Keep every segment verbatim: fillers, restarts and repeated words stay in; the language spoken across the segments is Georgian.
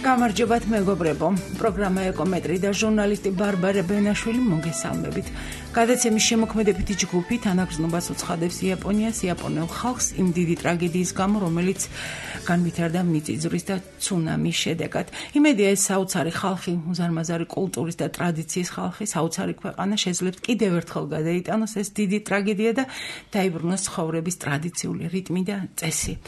გამარჯობათ მეგობრებო, პროგრამა ეკომეტრი და ჟურნალისტი ბარბარე ბენაშვილი მოგესალმებით. გადაცემის შემოქმედებითი ჯგუფი თანაგრძნობას უცხადებს იაპონიას, იაპონელ ხალხს იმ დიდი ტრაგედიის გამო, რომელიც განვითარდა მიწისძვრის და ცუნამის შედეგად. იმედია ეს საოცარი ხალხი, უზარმაზარი კულტურის და ტრადიციის ხალხი, საოცარი ქვეყანა შეძლებს კიდევ ერთხელ გადაიტანოს ეს დიდი ტრაგედია და დაიბრუნოს ცხოვრების ტრადიციული რიტმი და წესი.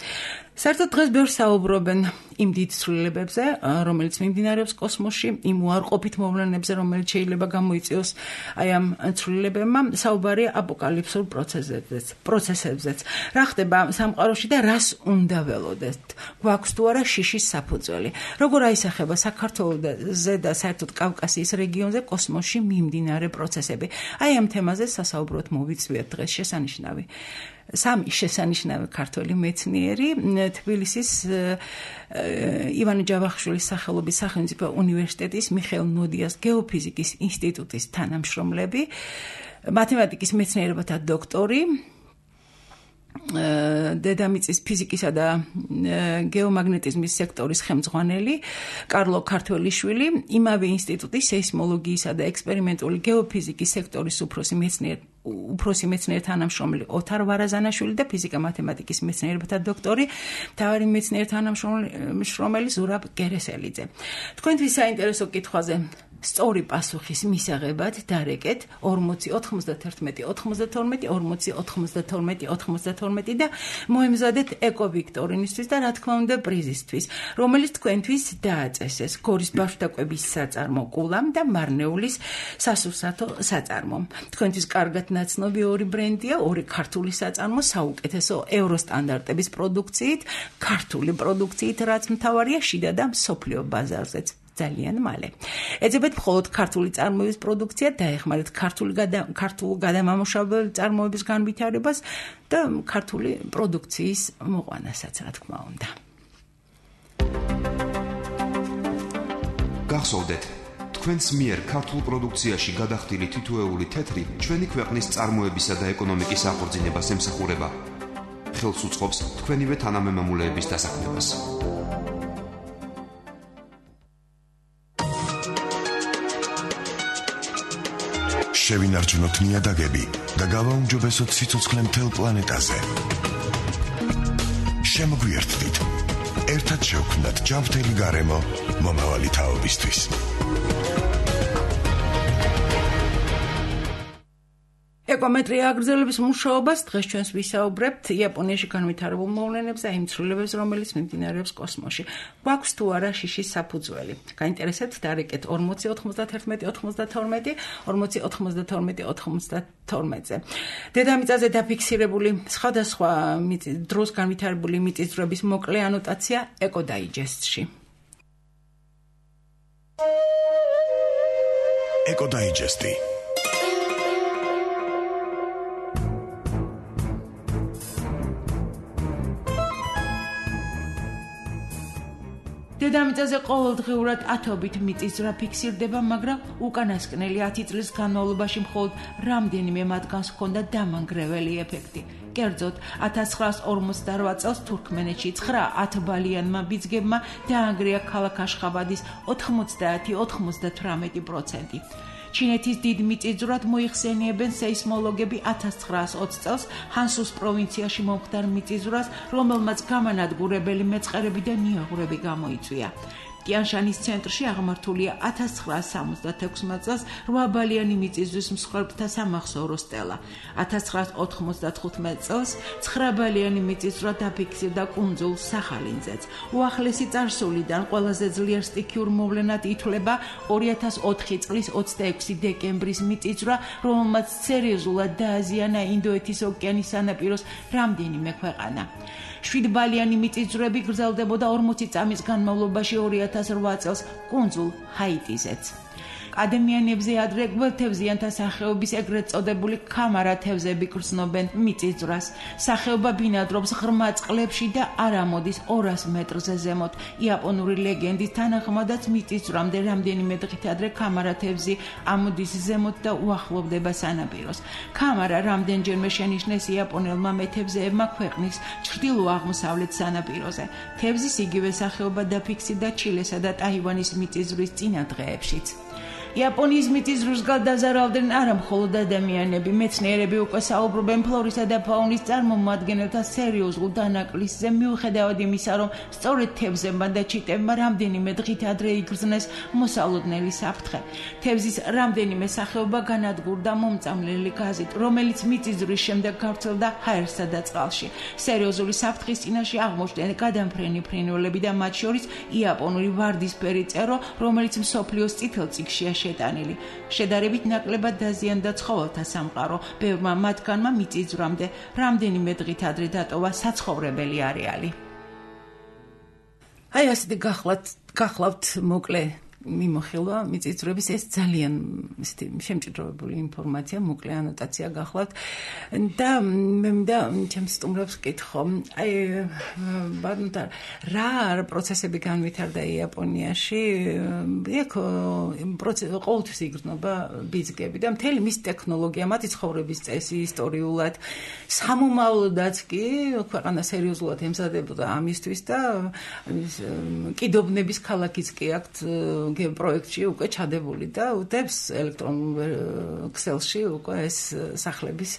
საერთოდ დღეს ბევრს საუბრობენ იმ დიდ ცვლილებებზე, რომელიც მიმდინარეობს კოსმოსში, იმ უარყოფით მოვლენებზე, რომელიც შეიძლება გამოიწვიოს აი ამ ცვლილებებმა, საუბარია აპოკალიფსურ პროცესებზეც, პროცესებზეც. რა ხდება სამყაროში და რას უნდა ველოდეთ? გვაქვს თუ არა შიშის საფუძველი? როგორ აისახება საქართველოზე და საერთოდ კავკასიის რეგიონზე კოსმოსში მიმდინარე პროცესები? აი ამ თემაზე სასაუბროდ მოვიწვიეთ დღეს შესანიშნავი სამი შესანიშნავი ქართველი მეცნიერი, თბილისის ივანე ჯავახიშვილის სახელობის სახელმწიფო უნივერსიტეტის მიხეილ ნოდიას გეოფიზიკის ინსტიტუტის თანამშრომლები, მათემატიკის მეცნიერებათა დოქტორი, დედამიწის ფიზიკისა და გეომაგნეტიზმის სექტორის ხელმძღვანელი კარლო ქართველიშვილი, იმავე ინსტიტუტის სეისმოლოგიისა და ექსპერიმენტული გეოფიზიკის სექტორის უფროსი მეცნიერი უფროსი მეცნიერ თანამშრომელი ოთარ ვარაზანაშვილი და ფიზიკა-მათემატიკის მეცნიერებათა დოქტორი, მთავარი მეცნიერ თანამშრომელი ზურაბ გერესელიძე. თქვენთვის საინტერესო კითხვაზე სწორი პასუხის მისაღებად დარეკეთ ორმოცი ოთხმოცდათერთმეტი ოთხმოცდათორმეტი ორმოცი ოთხმოცდათორმეტი ოთხმოცდათორმეტი და მოემზადეთ ეკოვიქტორინისთვის და რა თქმა უნდა პრიზისთვის, რომელიც თქვენთვის დააწესეს გორის ბავშვთა კვების საწარმო კულამ და მარნეულის სასურსათო საწარმომ. თქვენთვის კარგად ნაცნობი ორი ბრენდია, ორი ქართული საწარმო საუკეთესო ევროსტანდარტების პროდუქციით, ქართული პროდუქციით, რაც მთავარია შიდა და მსოფლიო ბაზარზეც. ძალიან მალე. ეძებეთ მხოლოდ ქართული წარმოების პროდუქცია, დაეხმარეთ ქართული ქართულ გადამამუშავებელი წარმოების განვითარებას და ქართული პროდუქციის მოყვანასაც, რა თქმა უნდა. გახსოვდეთ, თქვენს მიერ ქართულ პროდუქციაში გადახდილი თითოეული თეთრი ჩვენი ქვეყნის წარმოებისა და ეკონომიკის აღორძინებას ემსახურება. ხელს უწყობს თქვენივე თანამემამულეების დასაქმებას. შევინარჩუნოთ ნიადაგები და გავაუმჯობესოთ სიცოცხლე მთელ პლანეტაზე. შემოგვიერთდით. ერთად შევქმნათ ჯანმრთელი გარემო მომავალი თაობისთვის. ეკომეტრი აგრძელებს მუშაობას. დღეს ჩვენს ვისაუბრებთ იაპონიაში განვითარებულ მოვლენებზე, იმ ცვლილებებს, რომელიც მიმდინარეობს კოსმოსში. გვაქვს თუ არა შიშის საფუძველი? გაინტერესებთ, დარეკეთ ორმოცი ოთხმოცდათერთმეტი ოთხმოცდათორმეტი ორმოცი ოთხმოცდათორმეტი ოთხმოცდათორმეტზე. დედამიწაზე დაფიქსირებული სხვადასხვა დროს განვითარებული მიწისძვრების მოკლე ანოტაცია ეკოდაიჯესტში. ეკოდაიჯესტი დედამიწაზე ყოველდღიურად ათობით მიწისძვრა ფიქსირდება, მაგრამ უკანასკნელი ათი წლის განმავლობაში მხოლოდ რამდენიმე მათგანს ჰქონდა დამანგრეველი ეფექტი. კერძოდ, ათას ცხრაას ორმოცდარვა წელს თურქმენეთში ცხრა ათბალიანმა ბიძგებმა დაანგრია ქალაქ აშხაბადის ოთხმოცდაათი ოთხმოცდათვრამეტი პროცენტი. ჩინეთის დიდ მიწისძვრად მოიხსენიებენ სეისმოლოგები ათას ცხრაას ოცი წელს ჰანსუს პროვინციაში მომხდარ მიწისძვრას, რომელმაც გამანადგურებელი მეწყერები და ნიაღვრები გამოიწვია. ტიანშანის ცენტრში აღმართულია ათას ცხრაას სამოცდათექვსმეტ წელს რვაბალიანი მიწისძვრის მსხვერპლთა სამახსოვრო სტელა. ათას ცხრაას ოთხმოცდათხუთმეტ წელს ცხრაბალიანი მიწისძვრა დაფიქსირდა კუნძულ სახალინძეც. უახლესი წარსულიდან ყველაზე ძლიერ სტიქიურ მოვლენად ითვლება ორი ათას ოთხი წლის ოცდაექვსი დეკემბრის მიწისძვრა, რომელმაც სერიოზულად დააზიანა ინდოეთის ოკეანის სანაპიროს რამდენიმე ქვეყანა. შვიდბალიანი მიწისძვრები გრძელდებოდა ორმოცი წამის განმავლობაში ორი ათას რვა წელს კუნძულ ჰაიტიზეც. ადამიანებზე ადრე გველთევზიანთა სახეობის ეგრეთ წოდებული ქამარა თევზები გრძნობენ მიწისძვრას. სახეობა ბინადრობს ღრმა წყლებში და არ ამოდის ორას მეტრზე ზემოთ. იაპონური ლეგენდის თანახმადაც მიწისძვრამდე რამდენიმე დღით ადრე ქამარა თევზი ამოდის ზემოთ და უახლოვდება სანაპიროს. ქამარა რამდენჯერმე შენიშნეს იაპონელმა მეთევზეებმა ქვეყნის ჩრდილო-აღმოსავლეთ სანაპიროზე. თევზის იგივე სახეობა დაფიქსირდა ჩილესა და ტაივანის მიწისძვრის წინა დღეებშიც. იაპონიის მიწისძვრს გადაზარავდნენ არა მხოლოდ ადამიანები, მეცნიერები უკვე საუბრობენ ფლორისა და ფაუნის წარმომადგენელთა სერიოზულ დანაკლისზე, მიუხედავად იმისა, რომ სწორედ თევზებმა და ჩიტებმა რამდენიმე დღით ადრე იგრძნეს მოსალოდნელი საფრთხე. თევზის რამდენიმე სახეობა განადგურდა მომწამლელი გაზით, რომელიც მიწისძვრის შემდეგ გავრცელდა ჰაერსა და წყალში. სერიოზული საფრთხის წინაშე აღმოჩნდნენ გადამფრენი ფრინველები და მათ შორის იაპონური ვარდისფერი წერო, რომელიც მსოფლიოს წითელ წიგნშია შეტანილი. შედარებით ნაკლებად დაზიანდა ცხოველთა სამყარო. ბევრმა მათგანმა მიწისძვრამდე რამდენიმე დღით ადრე დატოვა საცხოვრებელი არეალი. აი ასეთი გახლავთ, გახლავთ მოკლე მიმოხილვა მიწისძვრების ეს ძალიან ისეთი შემჭიდროვებული ინფორმაცია, მოკლე ანოტაცია გახლავთ და მე მინდა ჩემს სტუმრებს ვკითხო, აი ბატონო რა პროცესები განვითარდა იაპონიაში, იქ პროცესი ყოველთვის იგრძნობა ბიძგები და მთელი მის ტექნოლოგია, მათი ცხოვრების წესი ისტორიულად, სამომავლოდაც კი ქვეყანა სერიოზულად ემზადებოდა ამისთვის და კიდობნების ქალაქიც კი აქვთ პროექტში უკვე ჩადებული და უდევს ელექტრონულ ქსელში უკვე ეს სახლების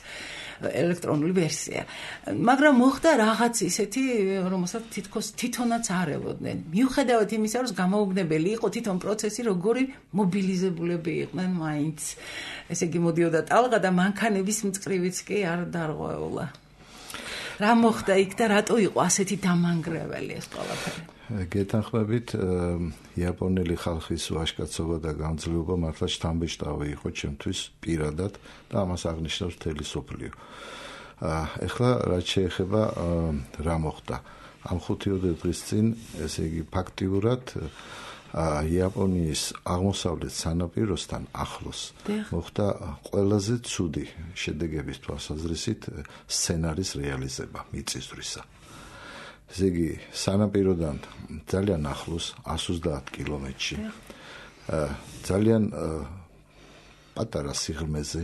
ელექტრონული ვერსია. მაგრამ მოხდა რაღაც ისეთი, რომელსაც თითქოს თვითონაც არ ელოდნენ. მიუხედავად იმისა, რომ გამოუგნებელი იყო თვითონ პროცესი, როგორი მობილიზებულები იყვნენ მაინც. ესე იგი მოდიოდა ტალღა და მანქანების მწკრივიც კი არ დარღვეულა. რა მოხდა იქ და რატო იყო ასეთი დამანგრეველი ეს ყველაფერი? გეთანხმებით, იაპონელი ხალხის ვაჟკაცობა და გამძლეობა მართლა შთამბეჭდავი იყო ჩემთვის პირადად და ამას აღნიშნავს მთელი სოფლიო. ეხლა რაც შეეხება რა მოხდა. ამ ხუთი-ოცდაოთხ დღის წინ, ესე იგი ფაქტიურად იაპონიის აღმოსავლეთ სანაპიროსთან ახლოს მოხდა ყველაზე ცუდი შედეგების თვალსაზრისით სცენარის რეალიზება მიწისძვრისა. ესე იგი სანაპიროდან ძალიან ახლოს εκατს ოცდაათ კილომეტრში ძალიან პატარა სიღრმეზე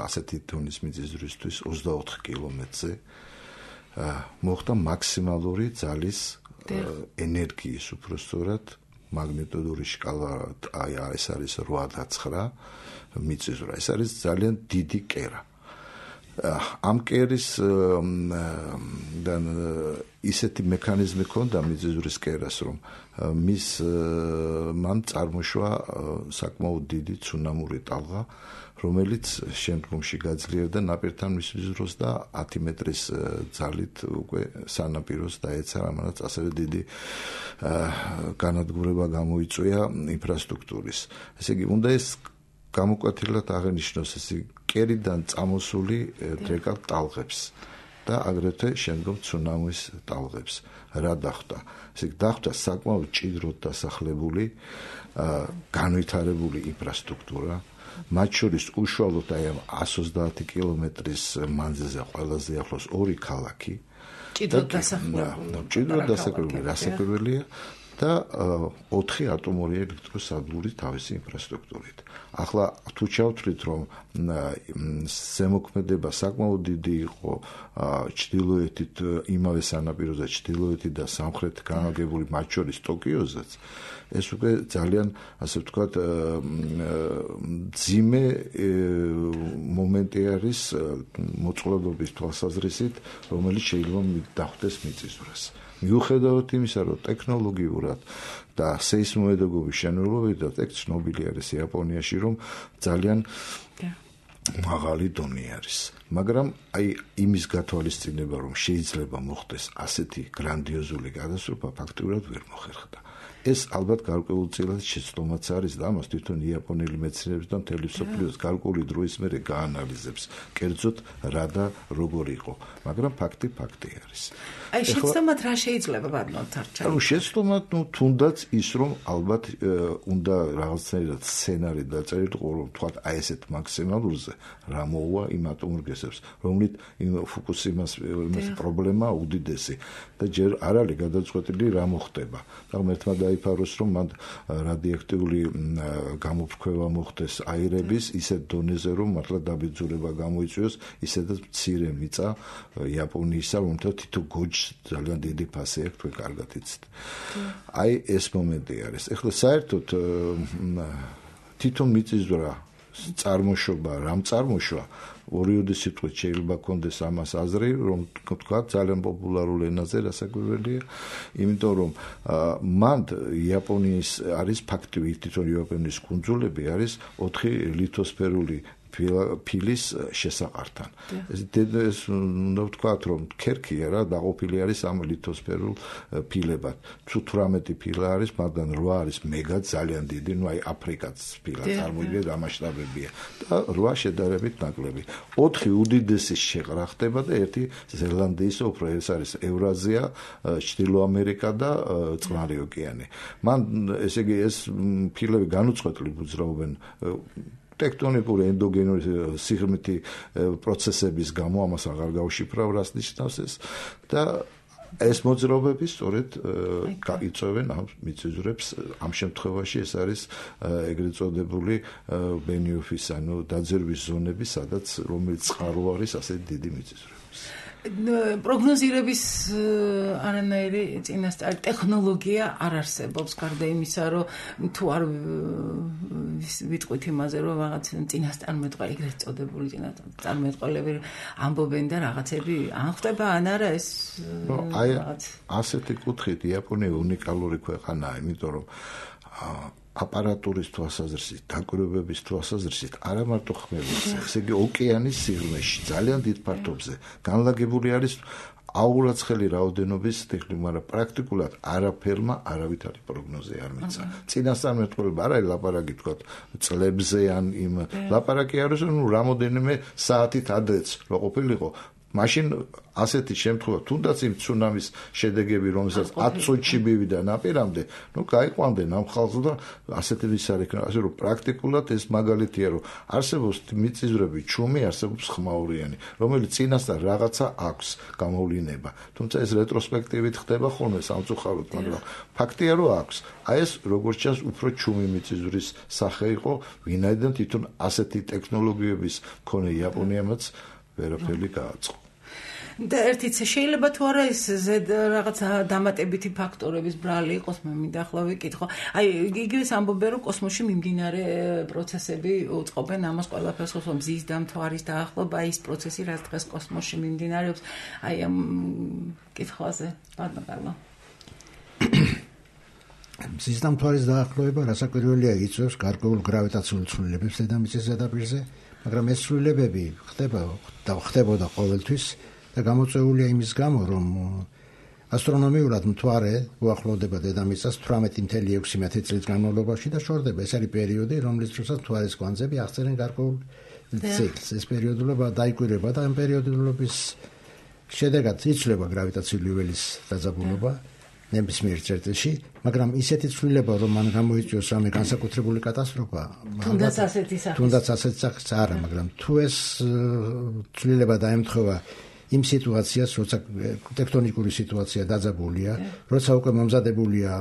ასეთი თონის მიწისძვრისთვის ოცდაოთხ კილომეტრზე მოხდა მაქსიმალური ძალის ენერგიის უпростоრად მაგნიტური შკალა აი ეს არის რვა და ცხრა მიწისძვრა. ეს არის ძალიან დიდი კერა. ამ კერის და ისეთი მექანიზმი ჰქონდა მიწისძვრის კერას, რომ მის მან წარმოშვა საკმაოდ დიდი ცუნამური ტალღა, რომელიც შემდგომში გაძლიერდა ნაპირთან მისვლის და ათი მეტრის ძალით უკვე სანაპიროს დაეცა, რამაც ასევე დიდი განადგურება გამოიწვია ინფრასტრუქტურის. ესე იგი, უნდა ეს გამოკვეთილად აღენიშნოს ეს კერიდან წამოსული დრეკავ ტალღებს და აგრეთვე შემდგომ ცუნამის ტალღებს. რა დახვდა? ესე იგი, დახვდა საკმაოდ ჭიდროდ დასახლებული, განვითარებული ინფრასტრუქტურა, მათ შორის უშუალოდ აი ამ εκατს ოცდაათი კილომეტრის მანძილზე ყველაზე ახლოს ორი ქალაქი. ჭიდროდ დასახლებული. ჭიდროდ დასახლებული რასაკვირველია და ოთხი ატომური ელექტროსადგური თავისი ინფრასტრუქტურით. ახლა თუ ჩავთვლით, რომ ზემოქმედება საკმაოდ დიდი იყო ჩრდილოეთით, იმავე სანაპიროზე ჩრდილოეთით და სამხრეთით განლაგებული, მათ შორის ტოკიოზეც, ეს უკვე ძალიან, ასე ვთქვათ, მძიმე მომენტი არის მოწყვლადობის თვალსაზრისით, რომელიც შეიძლება დახვდეს მიწისძვრას. მიუხედავად იმისა, რომ ტექნოლოგიურად და სეისმომედეგობის შენობებით ეგ ცნობილი არის იაპონიაში, რომ ძალიან მაღალი დონე არის. მაგრამ აი იმის გათვალისწინება, რომ შეიძლება მოხდეს ასეთი გრანდიოზული გადასწრება, ფაქტიურად ვერ მოხერხდა. ეს ალბათ გარკვეულწილად შეცდომაც არის და ამას თვითონ იაპონელი მეცნიერები და მთელი მსოფლიოს გარკვეული დროის მერე გაანალიზებს. კერძოდ რა და როგორ იყო, მაგრამ ფაქტი ფაქტი არის. აი შეცდომად რა შეიძლება ვარნოთ არჩევი? ანუ შეცდომად, ну, თუნდაც ის რომ ალბათ უნდა რაღაცნაირად სცენარი დაწერილიყო, რომ თქვათ აი ესეთ მაქსიმალურზე რა მოუვა იმ ატომურგესებს, რომლით ფუკუსიმას იმას პრობლემა უდიდესი და ჯერ არ არის გადაწყვეტილი რა მოხდება. და ერთმა დაიფაროს რომ მან რადიოაქტიული გამოფრქვევა მოხდეს აირების ისეთ დონეზე რომ მართლა დაბეძურება გამოიწვიოს, ისედაც მცირე მიწა იაპონიისა, რომელთა თითო გოჯს ძალიან დიდი ფასი აქვს, თქვენ კარგად იცით. აი ეს მომენტი არის. ეხლა საერთოდ თვითონ მიწისძვრა წარმოშობა, რამ წარმოშვა ორიოდი სიტყვით შეიძლება კონდეს ამას აზრი, რომ თქვა ძალიან პოპულარულ ენაზე რასაკვირველია, იმიტომ რომ მან იაპონიის არის ფაქტი, თვითონ იაპონიის კუნძულები არის ოთხი ლითოსფერული ფილის შესაყართან. ეს უნდა ვთქვათ, რომ ქერქია რა დაყოფილი არის ამ ლითოსფერულ ფილებად. თუ თვრამეტი ფილა არის, მაგრამ რვა არის მეგა ძალიან დიდი, ну აი აფრიკაც ფილა წარმოიდგინეთ რა მასშტაბებია და რვა შედარებით ნაკლები. ოთხი უდიდესი შეყრა ხდება და ერთი ზელანდიის უფრო ეს არის ევრაზია, ჩრდილო ამერიკა და წყნარი ოკეანე. მან ესე იგი ეს ფილები განუწყვეტლივ უძრაობენ ტექტონიკური ენდოგენური სიღრმითი პროცესების გამო, ამას აღარ გავშიფრავ, რას ნიშნავს ეს და ეს მოძრაობები სწორედ იწვევენ ამ მიწისძვრებს. ამ შემთხვევაში ეს არის ეგრეთ წოდებული ბენიოფის, ანუ დაძერვის ზონები, სადაც რომელიც წყარო არის ასეთი დიდი მიწისძვრები. პროგნოზირების არანაირი წინასწარი ტექნოლოგია არ არსებობს, გარდა იმისა, რომ თუ არ ვიტყვით იმაზე, რომ რაღაც წინასწარმეტყველი, ეგრეთ წოდებული წინასწარმეტყველები ამბობენ და რაღაცები ან ხდება, ან არა ეს რაღაც. ასეთი კუთხით იაპონია უნიკალური ქვეყანაა, იმიტომ რომ აპარატურის თვალსაზრისით, დაკვირვებების თვალსაზრისით არა მარტო ხმელეთზე, ესე იგი ოკეანის სიღრმეში, ძალიან დიდ ფართობზე განლაგებული არის აურაცხელი რაოდენობის ტექნიკა, მაგრამ პრაქტიკულად არაფერმა არავითარი პროგნოზი არ მიცა. წინასწარმეტყველება არ არის ლაპარაკი თქვა წლებზე ან იმ ლაპარაკი არის რომ რამოდენიმე საათით ადრეც რო ყოფილიყო, მაშინ ასეთი შემთხვევა, თუნდაც იმ ცუნამის შედეგები, რომელსაც ათ წუთში მივიდა ნაპირამდე, ну, გაიყვანდნენ ამ ხალხს და ასეთი ვის არ იქნება, ასე რომ პრაქტიკულად ეს მაგალითია, რომ არსებობს მიწისძვრები, ჩუმი, არსებობს ხმაურიანი, რომელიც წინასწარ რაღაცა აქვს გამოვლინება. თუმცა ეს რეტროსპექტივით ხდება ხოლმე სამწუხაროდ, მაგრამ ფაქტია, რომ აქვს. აი ეს როგორც ჩანს, უფრო ჩუმი მიწისძვრის სახე იყო, ვინაიდან თვითონ ასეთი ტექნოლოგიების მქონე იაპონიამაც ვერაფერი გააწყო. და ერთიც შეიძლება თუ არა ის ზედ რაღაც დამატებითი ფაქტორების ბრალი იყოს, მე მინდა ახლა ვიკითხო. აი იგივეს ამბობენ, რომ კოსმოსში მიმდინარე პროცესები უწყობენ ამას ყველაფერს, რომ მზის დამთვარის დაახლოება, ის პროცესი, რაც დღეს კოსმოსში მიმდინარეობს, აი ამ კითხვაზე ბატონო. მზის დამთვარის დაახლოება რასაკვირველია იწვევს გარკვეულ გრავიტაციულ ცვლილებებს დედამიწის ზედაპირზე, მაგრამ ეს ცვლილებები ხდება და ხდებოდა ყოველთვის და გამოწვეულია იმის გამო, რომ ასტრონომიულად მთვარე უახლოვდება დედამიწას თვრამეტი კoma ექვსი მეტრი წლის განმავლობაში და შორდება. ეს არის პერიოდი, რომლის დროსაც მთვარის კვანძები აღწერენ გარკვეულ ციკლს. ეს პერიოდულობა დაიკვირება და ამ პერიოდულობის შედეგად იცვლება გრავიტაციული ველის დაძაბულობა ნებისმიერ წერტილში, მაგრამ ისეთი ცვლილება, რომ მან გამოიწვიოს რამე განსაკუთრებული კატასტროფა, თუნდაც ასეთი სახის. თუნდაც ასეთი სახის არა, მაგრამ თუ ეს ცვლილება დაემთხვევა იმ სიტუაციას, როცა ტექტონიკური სიტუაცია დაძაბულია, როცა უკვე მომზადებულია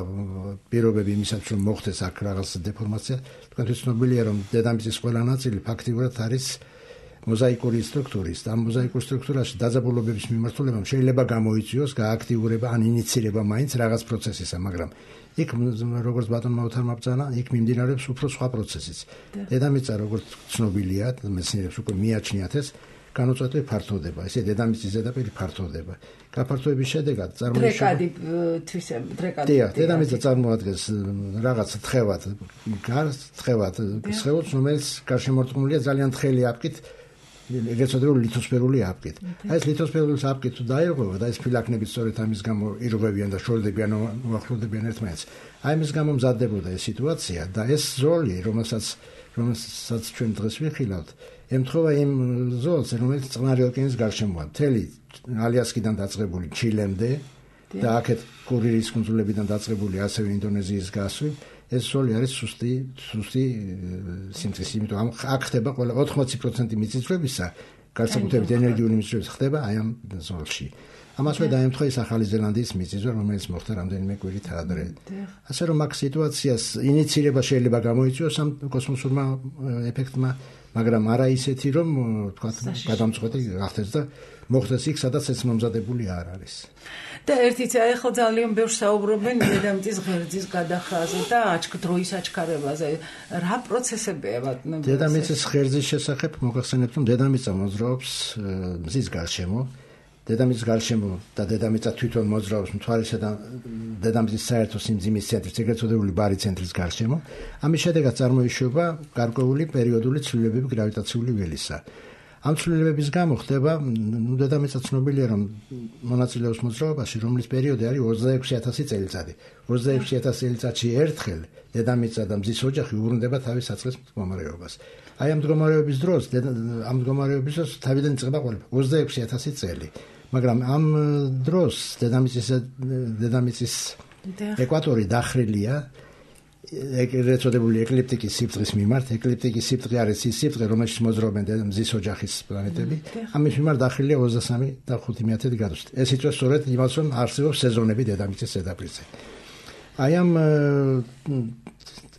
პირობები იმისაც, რომ მოხდეს აქ რაღაც დეფორმაცია, თქვენთვის ცნობილია, რომ დედამიწის ყველა ნაწილი ფაქტიურად არის მოზაიკური სტრუქტურის და ამ მოზაიკურ სტრუქტურაში დაძაბულობების მიმართულებამ შეიძლება გამოიწვიოს გააქტიურება ან ინიცირება მაინც რაღაც პროცესისა, მაგრამ იქ როგორც ბატონმა მოთარმა ბრძანა, იქ მიმდინარეობს უფრო სხვა პროცესიც. დედამიწა როგორც ცნობილია, მეცნიერებს უკვე მიაჩნიათ ეს, განუწყვეტლივ ფართოვდება, ესე დედამიწის ზედაპირი ფართოვდება. გაფართოების შედეგად წარმოიშობა თვისებ დრეკადი. დიახ, დედამიწა წარმოადგენს რაღაც თხევად, გარს თხევად, სხეულს, რომელიც გარშემორტყმულია ძალიან თხელი აპკით ეგრეთ წოდებული ლითოსფერული აპკით. აი ეს ლითოსფერული აპკით თუ დაირღვევა და ეს ფილაქნები სწორედ ამის გამო ირღვევიან და შორდებიან, უახლოვდებიან ერთმანეთს. აი ამის გამო მზადდებოდა ეს სიტუაცია და ეს ზოლი, რომელსაც რომელსაც ჩვენ დღეს ვიხილავთ, ემთხვევა იმ ზოლს, რომელიც წყნარი ოკეანის გარშემოა, მთელი ალიასკიდან დაწყებული ჩილემდე და აქეთ კურირის კუნძულებიდან დაწყებული ასევე ინდონეზიის გასვლით, ეს ზოლი არის სუსტი, სუსტი სიმწის, იმიტომ ამ აქ ხდება ყველა ოთხმოცი პროცენტი მიწისძვრებისა, განსაკუთრებით ენერგიული მიწისძვრების ხდება აი ამ ზოლში. ამასვე დაემთხვა ის ახალი ზელანდიის მიწისძვრა, რომელიც მოხდა რამდენიმე კვირით ადრე. ასე რომ აქ სიტუაციას ინიცირება შეიძლება გამოიწვიოს ამ კოსმოსურმა ეფექტმა, მაგრამ არა ისეთი, რომ თქვა გადამწყვეტი გახდეს და მოხდეს იქ, სადაც ეს მომზადებული არ არის. და ერთიც ახლა ძალიან ბევრს საუბრობენ დედამიწის ღერძის გადახრაზე და დროის აჩქარებაზე. რა პროცესებია ბატონო? დედამიწის ღერძის შესახებ მოგახსენებთ, რომ დედამიწა მოძრაობს მზის გარშემო. დედამიწის გარშემო და დედამიწა თვითონ მოძრაობს მთვარისა და დედამიწის საერთო სიმძიმის ცენტრის, ეგრეთ წოდებული ბარი ცენტრის გარშემო. ამის შედეგად წარმოიშობა გარკვეული პერიოდული ცვლილებები გრავიტაციული ველისა. ამ ცვლილებების გამო ხდება, ნუ დედამიწა ცნობილია, რომ მონაწილეობს მოძრაობაში, რომლის პერიოდი არის ოცდაექვსი ათასი წელიწადი. ოცდაექვსი ათასი წელიწადში ერთხელ დედამიწა და მზის ოჯახი უბრუნდება თავის საწყის მდგომარეობას. აი ამ მდგომარეობის დროს, ამ მდგომარეობის დროს თავიდან იწყება ყველაფერი ოცდაექვსი ათასი წელი. მაგრამ ამ დროს დედამიწის დედამიწის ეკვატორი დახრილია ეგრეთ წოდებული ეკლიპტიკის სიბრტყის მიმართ. ეკლიპტიკის სიბრტყე არის ის სიბრტყე, რომელშიც მოძრაობენ მზის ოჯახის პლანეტები. ამის მიმართ დახრილია ოცდასამი და ხუთი მეათედი გრადუსით. ეს იწვევს სწორედ იმას, რომ არსებობს სეზონები დედამიწის ზედაპირზე. აი ამ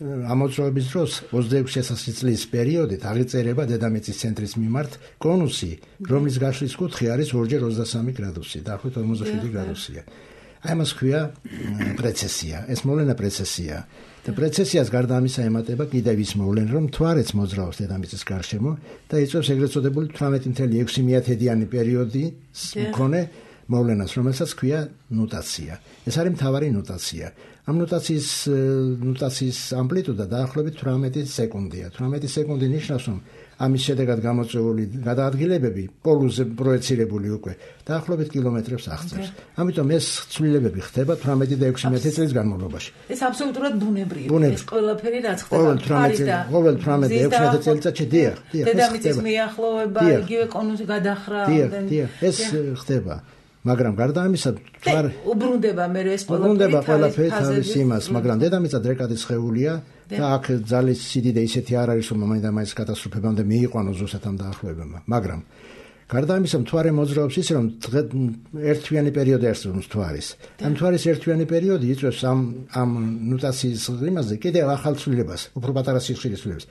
ამოძრავების დროს ოცდაექვსი ათასი წლის პერიოდით აღიწერება დედამიწის ცენტრის მიმართ კონუსი, რომლის გაშლის კუთხე არის ორჯერ ოცდასამი გრადუსი, დაახლოებით ორმოცდაშვიდი გრადუსია. აი მას ქვია პრეცესია. ეს მოვლენა პრეცესია. და პრეცესიას გარდა ამისა ემატება კიდევ ის მოვლენა, რომ მთვარეც მოძრაობს დედამიწის გარშემო და იწვევს ეგრეთ წოდებული თვრამეტი ათეული ექვსი მეათედიანი პერიოდის მქონე მოვლენას, რომელსაც ქვია ნუტაცია. ეს არის მთავარი ნუტაცია. ამ ნუტაციის ნუტაციის ამპლიტუდა დაახლოებით თვრამეტი სეკუნდია. თვრამეტი სეკუნდი ნიშნავს, რომ ამის შედეგად გამოწვეული გადაადგილებები პოლუსზე პროექცირებული უკვე დაახლოებით კილომეტრებს აღწევს. ამიტომ ეს ცვლილებები ხდება თვრამეტი და ექვსი მეათე წლის განმავლობაში. ეს აბსოლუტურად ბუნებრივია. ეს ყველაფერი რაც ხდება. ყოველ თვრამეტი ყოველ თვრამეტი და ექვსი მეათე წელიწადში დიახ, დიახ, დედამიწის მიახლოება, იგივე კონუსი გადახრა. დიახ, დიახ, ეს ხდება. მაგრამ გარდა ამისა, თვარ უბრუნდება მე ეს უბრუნდება ყველაფერი თავის იმას, მაგრამ დედამიწა დრეკადი სხეულია და აქ ძალის სიდიდე ისეთი არ არის, რომ მომენტამაის კატასტროფებამდე მიიყვანოს ზუსტად ამ დაახლოებებმა. მაგრამ გარდა ამისა, მთვარე მოძრაობს ისე, რომ ერთთვიანი პერიოდი არსებობს მთვარის. ამ მთვარის ერთთვიანი პერიოდი იწვევს ამ ამ ნუტაციის იმაზე კიდევ ახალ ცვლილებას, უფრო პატარა სიხშირის ცვლილებას.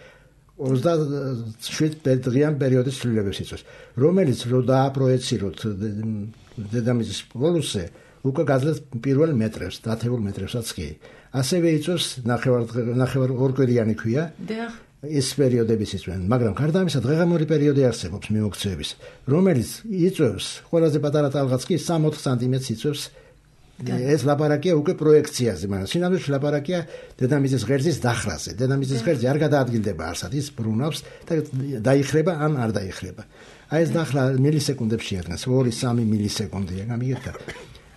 ოცდაშვიდ დღიან პერიოდის ცვლილებებს იწვევს, რომელიც რო დააპროექციროთ დედამიწის პოლუსზე, უკვე გაძლევს პირველ მეტრებს, დათებულ მეტრებსაც კი. ასევე იწვევს ნახევარ ნახევარ ორკვირიანი ქვია. დიახ. ეს პერიოდებიც იწვევენ, მაგრამ გარდა ამისა დღეღამური პერიოდი არსებობს მიმოქცევების, რომელიც იწვევს ყველაზე პატარა ტალღაც კი სამი ოთხ სანტიმეტრს იწვევს. ეს ლაპარაკია უკვე პროექციაზე, მაგრამ სინამდვილეში ლაპარაკია დედამიწის ღერძის დახრაზე. დედამიწის ღერძი არ გადაადგილდება არსად, ის ბრუნავს და დაიხრება ან არ დაიხრება. აი ეს დახრა მილისეკუნდებში აღნას, ორი სამი მილისეკუნდია, გამიგეთ?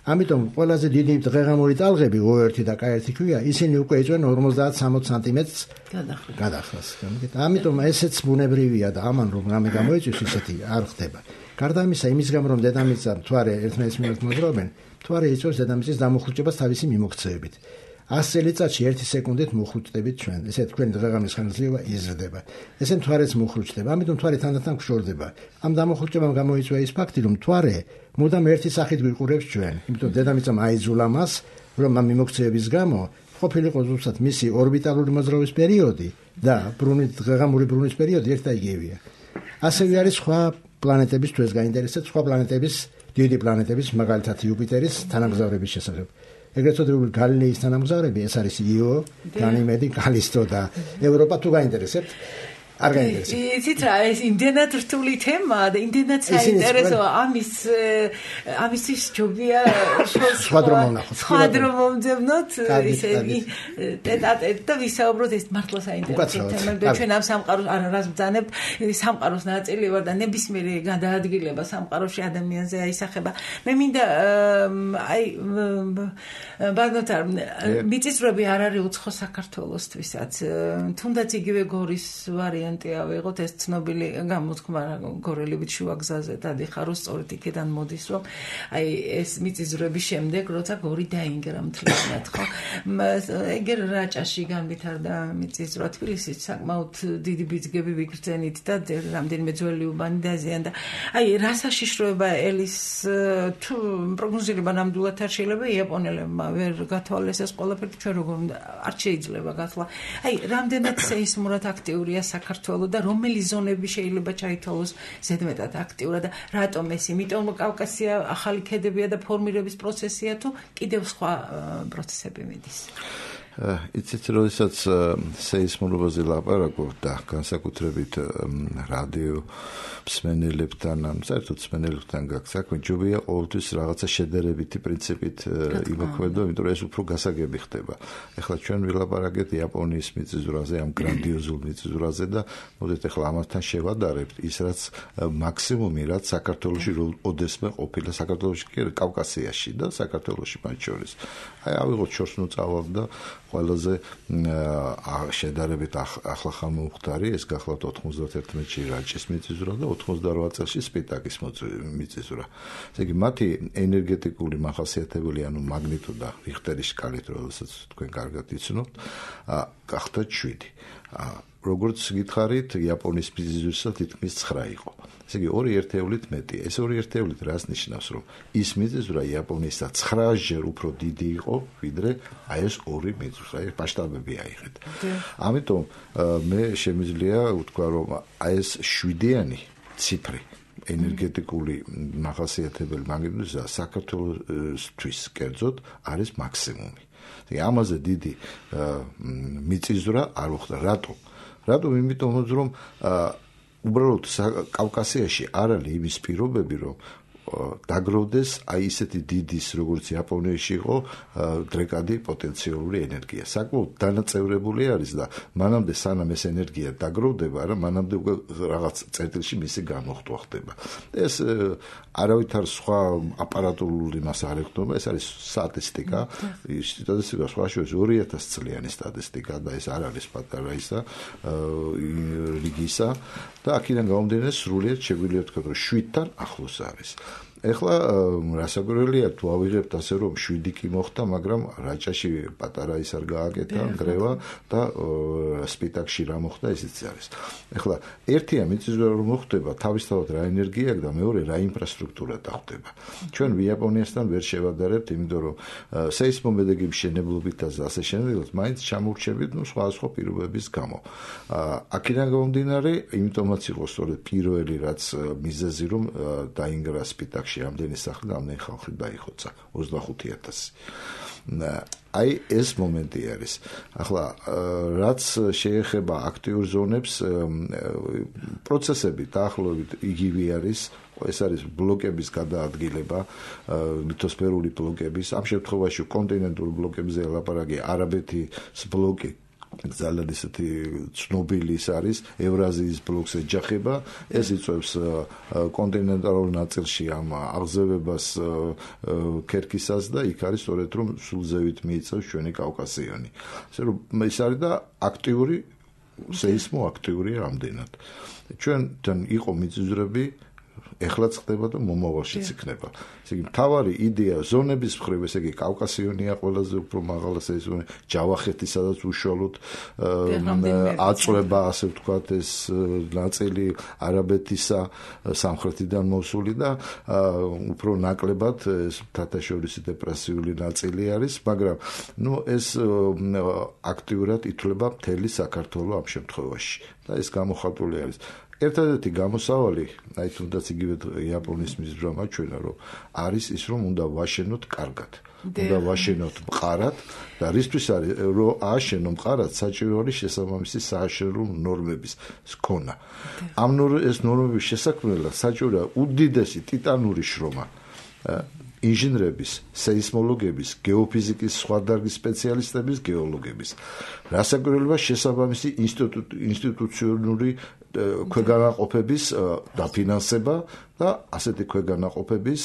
ამიტომ ყველაზე დიდი დღეღამური ტალღები O ერთი და K ერთი ქვია, ისინი უკვე იწვენ ორმოცდაათ სამოცდაათ სანტიმეტრს გადახრას. გამიგეთ? ამიტომ ესეც ბუნებრივია და ამან რომ რამე გამოიწვის ისეთი არ ხდება. გარდა ამისა, იმის გამო რომ დედამიწა მთვარე ერთმანეთის მიმართ მოძრაობენ, მთვარე იწვევს დედამიწის დამუხრუჭებას თავისი მიმოქცევებით. ას წელიწადში ერთი სეკუნდით მუხრუჭდებით ჩვენ. ესე თქვენი დღეღამის ხანგრძლივობა იზრდება. ესე მთვარეც მუხრუჭდება. ამიტომ მთვარე თანდათან გშორდება. ამ დამუხრუჭებამ გამოიწვია ის ფაქტი, რომ მთვარე მუდამ ერთი სახით გვიყურებს ჩვენ. იმიტომ დედამიწამ აიძულა მას, რომ ამ მიმოქცევების გამო ყოფილიყო ზუსტად მისი ორბიტალური მოძრაობის პერიოდი და ბრუნვის დღეღამური ბრუნვის პერიოდი ერთ და იგივეა. ასევე არის სხვა პლანეტების თუ ეს გაინტერესებს, სხვა პლანეტების დიდი პლანეტების, მაგალითად იუპიტერის თანამგზავრების შესახებ. ეგრეთ წოდებული გალილეის თანამგზავრები, ეს არის იო, განიმედი, კალისტო და ევროპა თუ გაინტერესებთ. არ გაინტერესებს. იცით რა, ეს იმდენად რთული თემაა და იმდენად საინტერესოა ამის ამისთვის ჯობია სხვა დრო მომნახოთ. სხვა დრო მომძებნოთ ისე ტეტ-ატეტ და ვისაუბროთ ეს მართლა საინტერესო თემაა. ჩვენ ამ სამყაროს არას ბრძანებთ, სამყაროს ნაწილი ვარ და ნებისმიერი გადაადგილება სამყაროში ადამიანზე აისახება. მე მინდა აი ბანოთარ მიწისძვრები არ არის უცხო საქართველოსთვისაც. თუნდაც იგივე გორის ვარიანტი ავიღოთ, ეს ცნობილი გამოთქმა გორელებით შუა გზაზე დადიხარო, სწორედ იქიდან მოდის, რომ აი ეს მიწისძვრების შემდეგ, როცა გორი დაინგრა მთლიანად, ხო? ეგერ რაჭაში განვითარდა მიწისძვრა, თბილისის საკმაოდ დიდი ბიძგები ვიგრძენით და რამდენიმე ძველი უბანი დაზიანდა. აი რა საშიშროება ელის თუ პროგნოზირება ნამდვილად არ შეიძლება, იაპონელებმა ვერ გათვალეს ეს ყველაფერი, ჩვენ როგორ არ შეიძლება გათვლა. აი რამდენად სეისმურად აქტიურია საქართველო და რომელი ზონები შეიძლება ჩაითვალოს ზედმეტად აქტიურად და რატომ ეს? იმიტომ კავკასია ახალი ქედებია და ფორმირების პროცესია თუ კიდევ სხვა პროცესები მიდის? იცით, როდესაც სეისმურობაზე ლაპარაკობ და განსაკუთრებით რადიო მსმენელებთან, ამ საერთოდ მსმენელებთან გაქვს საქმე, ჯობია ყოველთვის რაღაცა შედარებითი პრინციპით იმოქმედო, იმიტომ რომ ეს უფრო გასაგები ხდება. ეხლა ჩვენ ვილაპარაკეთ იაპონიის მიწისძვრაზე, ამ გრანდიოზულ მიწისძვრაზე და მოდით ეხლა ამასთან შევადარებთ ის, რაც მაქსიმუმი, რაც საქართველოში ოდესმე ყოფილა, საქართველოში კი კავკასიაში და საქართველოში მათ შორის. აი ავიღოთ შორსნუ წავალ და ყველაზე შედარებით ახლა ხანმოუხდარი, ეს გახლავთ ოთხმოცდაერთი წელში რაჭის მიწისძვრა და ოთხმოცდარვა წელში სპიტაკის მიწისძვრა. ესე იგი მათი ენერგეტიკული მახასიათებელი, ანუ მაგნიტუდა რიხტერის სკალით, როდესაც თქვენ კარგად იცნობთ, გახდა შვიდი. როგორც გითხარით, იაპონიის მიწისძვრისა თითქმის ცხრა იყო. ესე იგი ორი ერთეულით მეტი. ეს ორი ერთეულით რას ნიშნავს, რომ ის მიწისძვრა იაპონიისა ცხრაჯერ უფრო დიდი იყო, ვიდრე აი ეს ორი მიწისძვრა, ეს მასშტაბები აიღეთ. ამიტომ მე შემიძლია ვთქვა, რომ აი ეს შვიდიანი ციფრი ენერგეტიკული მახასიათებელი მაგნიტუდისა საქართველოსთვის კერძოდ არის მაქსიმუმი. ესე ამაზე დიდი მიწისძვრა არ მოხდა. რატომ? რატომ? იმიტომ რომ უბრალოდ კავკასიაში არ არის იმის პირობები, რომ დაგროვდეს აი ისეთი დიდის, როგორც იაპონიაში იყო, დრეკადი პოტენციალური ენერგია. საკმაოდ დანაწევრებული არის და მანამდე სანამ ეს ენერგია დაგროვდება, რა მანამდე უკვე რაღაც წერტილში მისი გამოხტვა ხდება. ეს არავითარ სხვა აპარატურული მას არ ეხდობა, ეს არის სტატისტიკა, სტატისტიკა სხვა შორის ორი ათასი წლიანი სტატისტიკა და ეს არ არის პატარა ისა რიგისა და აქედან გამომდინარე სრულიად შეგვიძლია ვთქვათ, რომ შვიდთან ახლოს არის. ეხლა რასაკვირველია, თუ ავიღებთ ასე რომ შვიდი კი მოხდა, მაგრამ რაჭაში პატარა ის არ გააკეთა, ნგრევა და სპიტაკში რა მოხდა, ისიც არის. ეხლა ერთია მიწისძვრა რომ მოხდება, თავისთავად რა ენერგია აქვს და მეორე რა ინფრასტრუქტურა დახვდება. ჩვენ იაპონიასთან ვერ შევადარებთ, იმიტომ რომ სეისმომედეგების შენებლობითაც და ასე შემდეგაც მაინც ჩამორჩებით, ну სხვა სხვა პირობების გამო. აქედან გამომდინარე, იმიტომაც იყო სწორედ პირველი რაც მიზეზი რომ დაინგრა სპიტაკში რამდენი სახლი და რამდენი ხალხი დაიხოცა ოცდახუთი ათასი. აი ეს მომენტი არის. ახლა რაც შეეხება აქტიურ ზონებს, პროცესები დაახლოებით იგივე არის. ეს არის ბლოკების გადაადგილება, ლითოსფერული ბლოკების, ამ შემთხვევაში კონტინენტური ბლოკებზე ლაპარაკი, არაბეთის ბლოკი ძალიან ისეთი ცნობილი არის, ევრაზიის ბლოკს ეჯახება, ეს იწვევს კონტინენტალურ ნაწილში ამ აღზევებას ქერქისას და იქ არის სწორედ რომ სულ ზევით მიიწევს ჩვენი კავკასიონი. ასე რომ ეს არის და აქტიური სეისმოაქტიური რამდენად. ჩვენთან იყო მიწისძვრები, ეხლაც ხდება და მომავალშიც იქნება. ესე იგი მთავარი იდეა ზონების მხრივ, ესე იგი კავკასიონია ყველაზე უფრო მაღალი სეზონი, ჯავახეთი, სადაც უშუალოდ აწვება, ასე ვთქვათ, ეს ნაწილი არაბეთისა სამხრეთიდან მოსული და უფრო ნაკლებად ეს თათაშორისი დეპრესიული ნაწილი არის, მაგრამ ნუ ეს აქტიურად ითვლება მთელი საქართველო ამ შემთხვევაში და ეს გამოხატული არის. ერთადერთი გამოსავალი, აი თუნდაც იგივე იაპონიის მიზრა მაჩვენა, რომ არის ის, რომ უნდა ვაშენოთ კარგად. უნდა ვაშენოთ მყარად და რისთვის არის რომ ააშენო მყარად საჭირო არის შესაბამისი სააშენო ნორმების ქონა. ამ ეს ნორმების შესაქმნელად საჭიროა უდიდესი ტიტანური შრომა ინჟინრების, სეისმოლოგების, გეოფიზიკის სხვა დარგის სპეციალისტების, გეოლოგების. რასაკვირველია შესაბამისი ინსტიტუციონალური ქვეგანაყოფების დაფინანსება და ასეთი ქვეგანაყოფების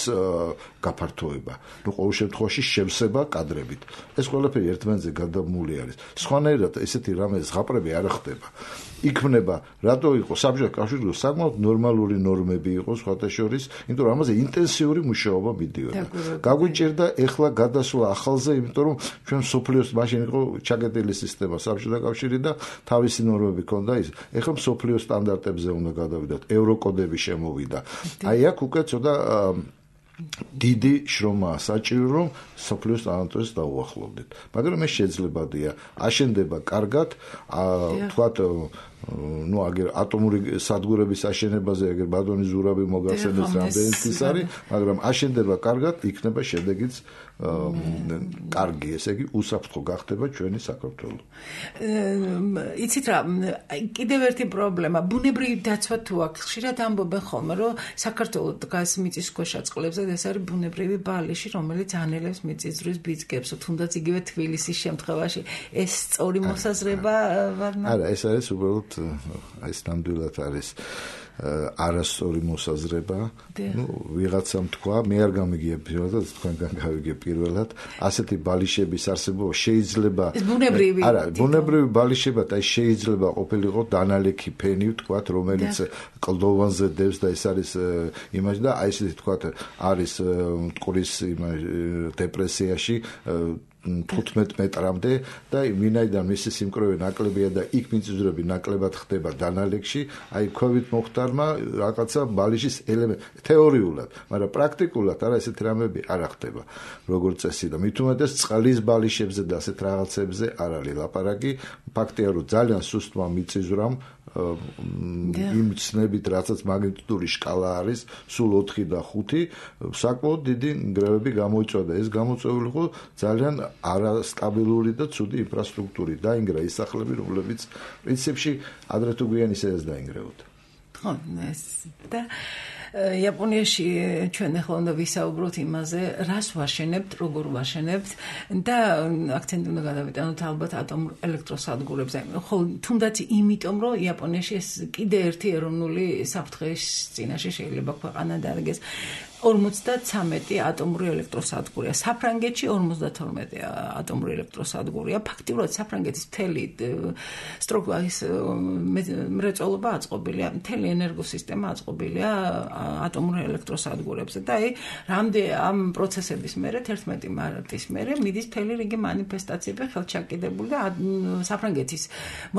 გაფართოება. ნუ ყოველ შემთხვევაში შევსება კადრებით. ეს ყველაფერი ერთმანეთზე გადამული არის. სხვანაირად ესეთი რამე ზღაპრები არ ხდება. იქმნება, რატო იყო საბჭოთა კავშირში საკმაოდ ნორმალური ნორმები იყო სხვათა შორის, იმიტომ რომ ამაზე ინტენსიური მუშაობა მიდიოდა. გაგვიჭირდა ეხლა გადასვლა ახალზე, იმიტომ რომ ჩვენ სოფლიოს მაშინ იყო ჩაკეტილი სისტემა საბჭოთა კავშირი და თავისი ნორმები ჰქონდა ის. ეხლა სოფლიოს სტანდარტებზე უნდა გადავიდათ, ევროკოდები შემოვიდა. აი აქ უკვე ცოტა დიდი შრომაა საჭირო რომ სოფლიოს სტანდარტებს დაუახლოვდეთ. მაგრამ ეს შეძლებადია. აშენდება კარგად, თქვათ ну აგერ ატომური სადგურების აშენებაზე აგერ ბატონი ზურაბი მოგახსენებს რამდენიც ის არის, მაგრამ აშენდება კარგად, იქნება შედეგიც კარგი, ესე იგი უსაფრთხო გახდება ჩვენი საქართველო. იცით რა, კიდევ ერთი პრობლემა, ბუნებრივი დაცვა თუ აქვს, ხშირად ამბობენ ხოლმე, რომ საქართველოს დგას მიწისქვეშა წყლებზე და ეს არის ბუნებრივი ბალიში, რომელიც ანელებს მიწისძვრის ბიძგებს, თუნდაც იგივე თბილისის შემთხვევაში ეს სწორი მოსაზრება ვარნა? არა, ეს არის უბრალოდ აი ეს ნამდვილად არის არასწორი მოსაზრება. ნუ ვიღაცამ თქვა, მე არ გამიგია პირველად, თქვენგან გავიგე პირველად, ასეთი ბალიშების არსებობა შეიძლება ბუნებრივი არა, ბუნებრივი ბალიშება და შეიძლება ყოფილიყო დანალექი ფენი, თქვათ, რომელიც კლდოვანზე დევს და ეს არის იმაში და აი ესეთი თქვათ, არის მტკვრის დეპრესიაში თხუთმეტ მეტრამდე და ვინაიდან მისი სიმკვრივე ნაკლებია და იქ მიწისძვრები ნაკლებად ხდება დანალექში, აი ქვევით მოხდარმა რაღაცა ბალიშის ელემენტი თეორიულად, მაგრამ პრაქტიკულად არა ესეთი რამები არ ხდება როგორც წესი და მით უმეტეს წყლის ბალიშებზე და ასეთ რაღაცებზე არ არის ლაპარაკი. ფაქტია რომ ძალიან სუსტმა მიწისძვრამ იმ ცნებით რასაც მაგნიტური შკალა არის, სულ ოთხი და ხუთი, საკმაოდ დიდი ნგრევები გამოიწვია. ეს გამოწვეული იყო ძალიან არასტაბილური და ცუდი ინფრასტრუქტურით დაინგრა ის სახლები, რომლებიც პრინციპში ადრე თუ გვიან ისედაც დაინგრეოდა. ხო, ეს და იაპონიაში ჩვენ ახლა უნდა ვისაუბროთ იმაზე, რას ვაშენებთ, როგორ ვაშენებთ და აქცენტი უნდა გადავიტანოთ ალბათ ატომურ ელექტროსადგურებზე. ხოლო თუნდაც იმიტომ, რომ იაპონიაში ეს კიდე ერთი ეროვნული საფრთხის წინაშე შეიძლება ქვეყანა დარგეს. ორმოცდათვრამეტი ატომური ელექტროსადგურია. საფრანგეთში ორმოცდათორმეტი ატომური ელექტროსადგურია. ფაქტიურად საფრანგეთის მთელი სტრუქტურის მრეწველობა აწყობილია, მთელი ენერგოსისტემა აწყობილია ატომურ ელექტროსადგურებზე და აი რამდენ ამ პროცესების მერე თერთმეტი მარტის მერე მიდის მთელი რიგი მანიფესტაციები ხელჩაკიდებული და საფრანგეთის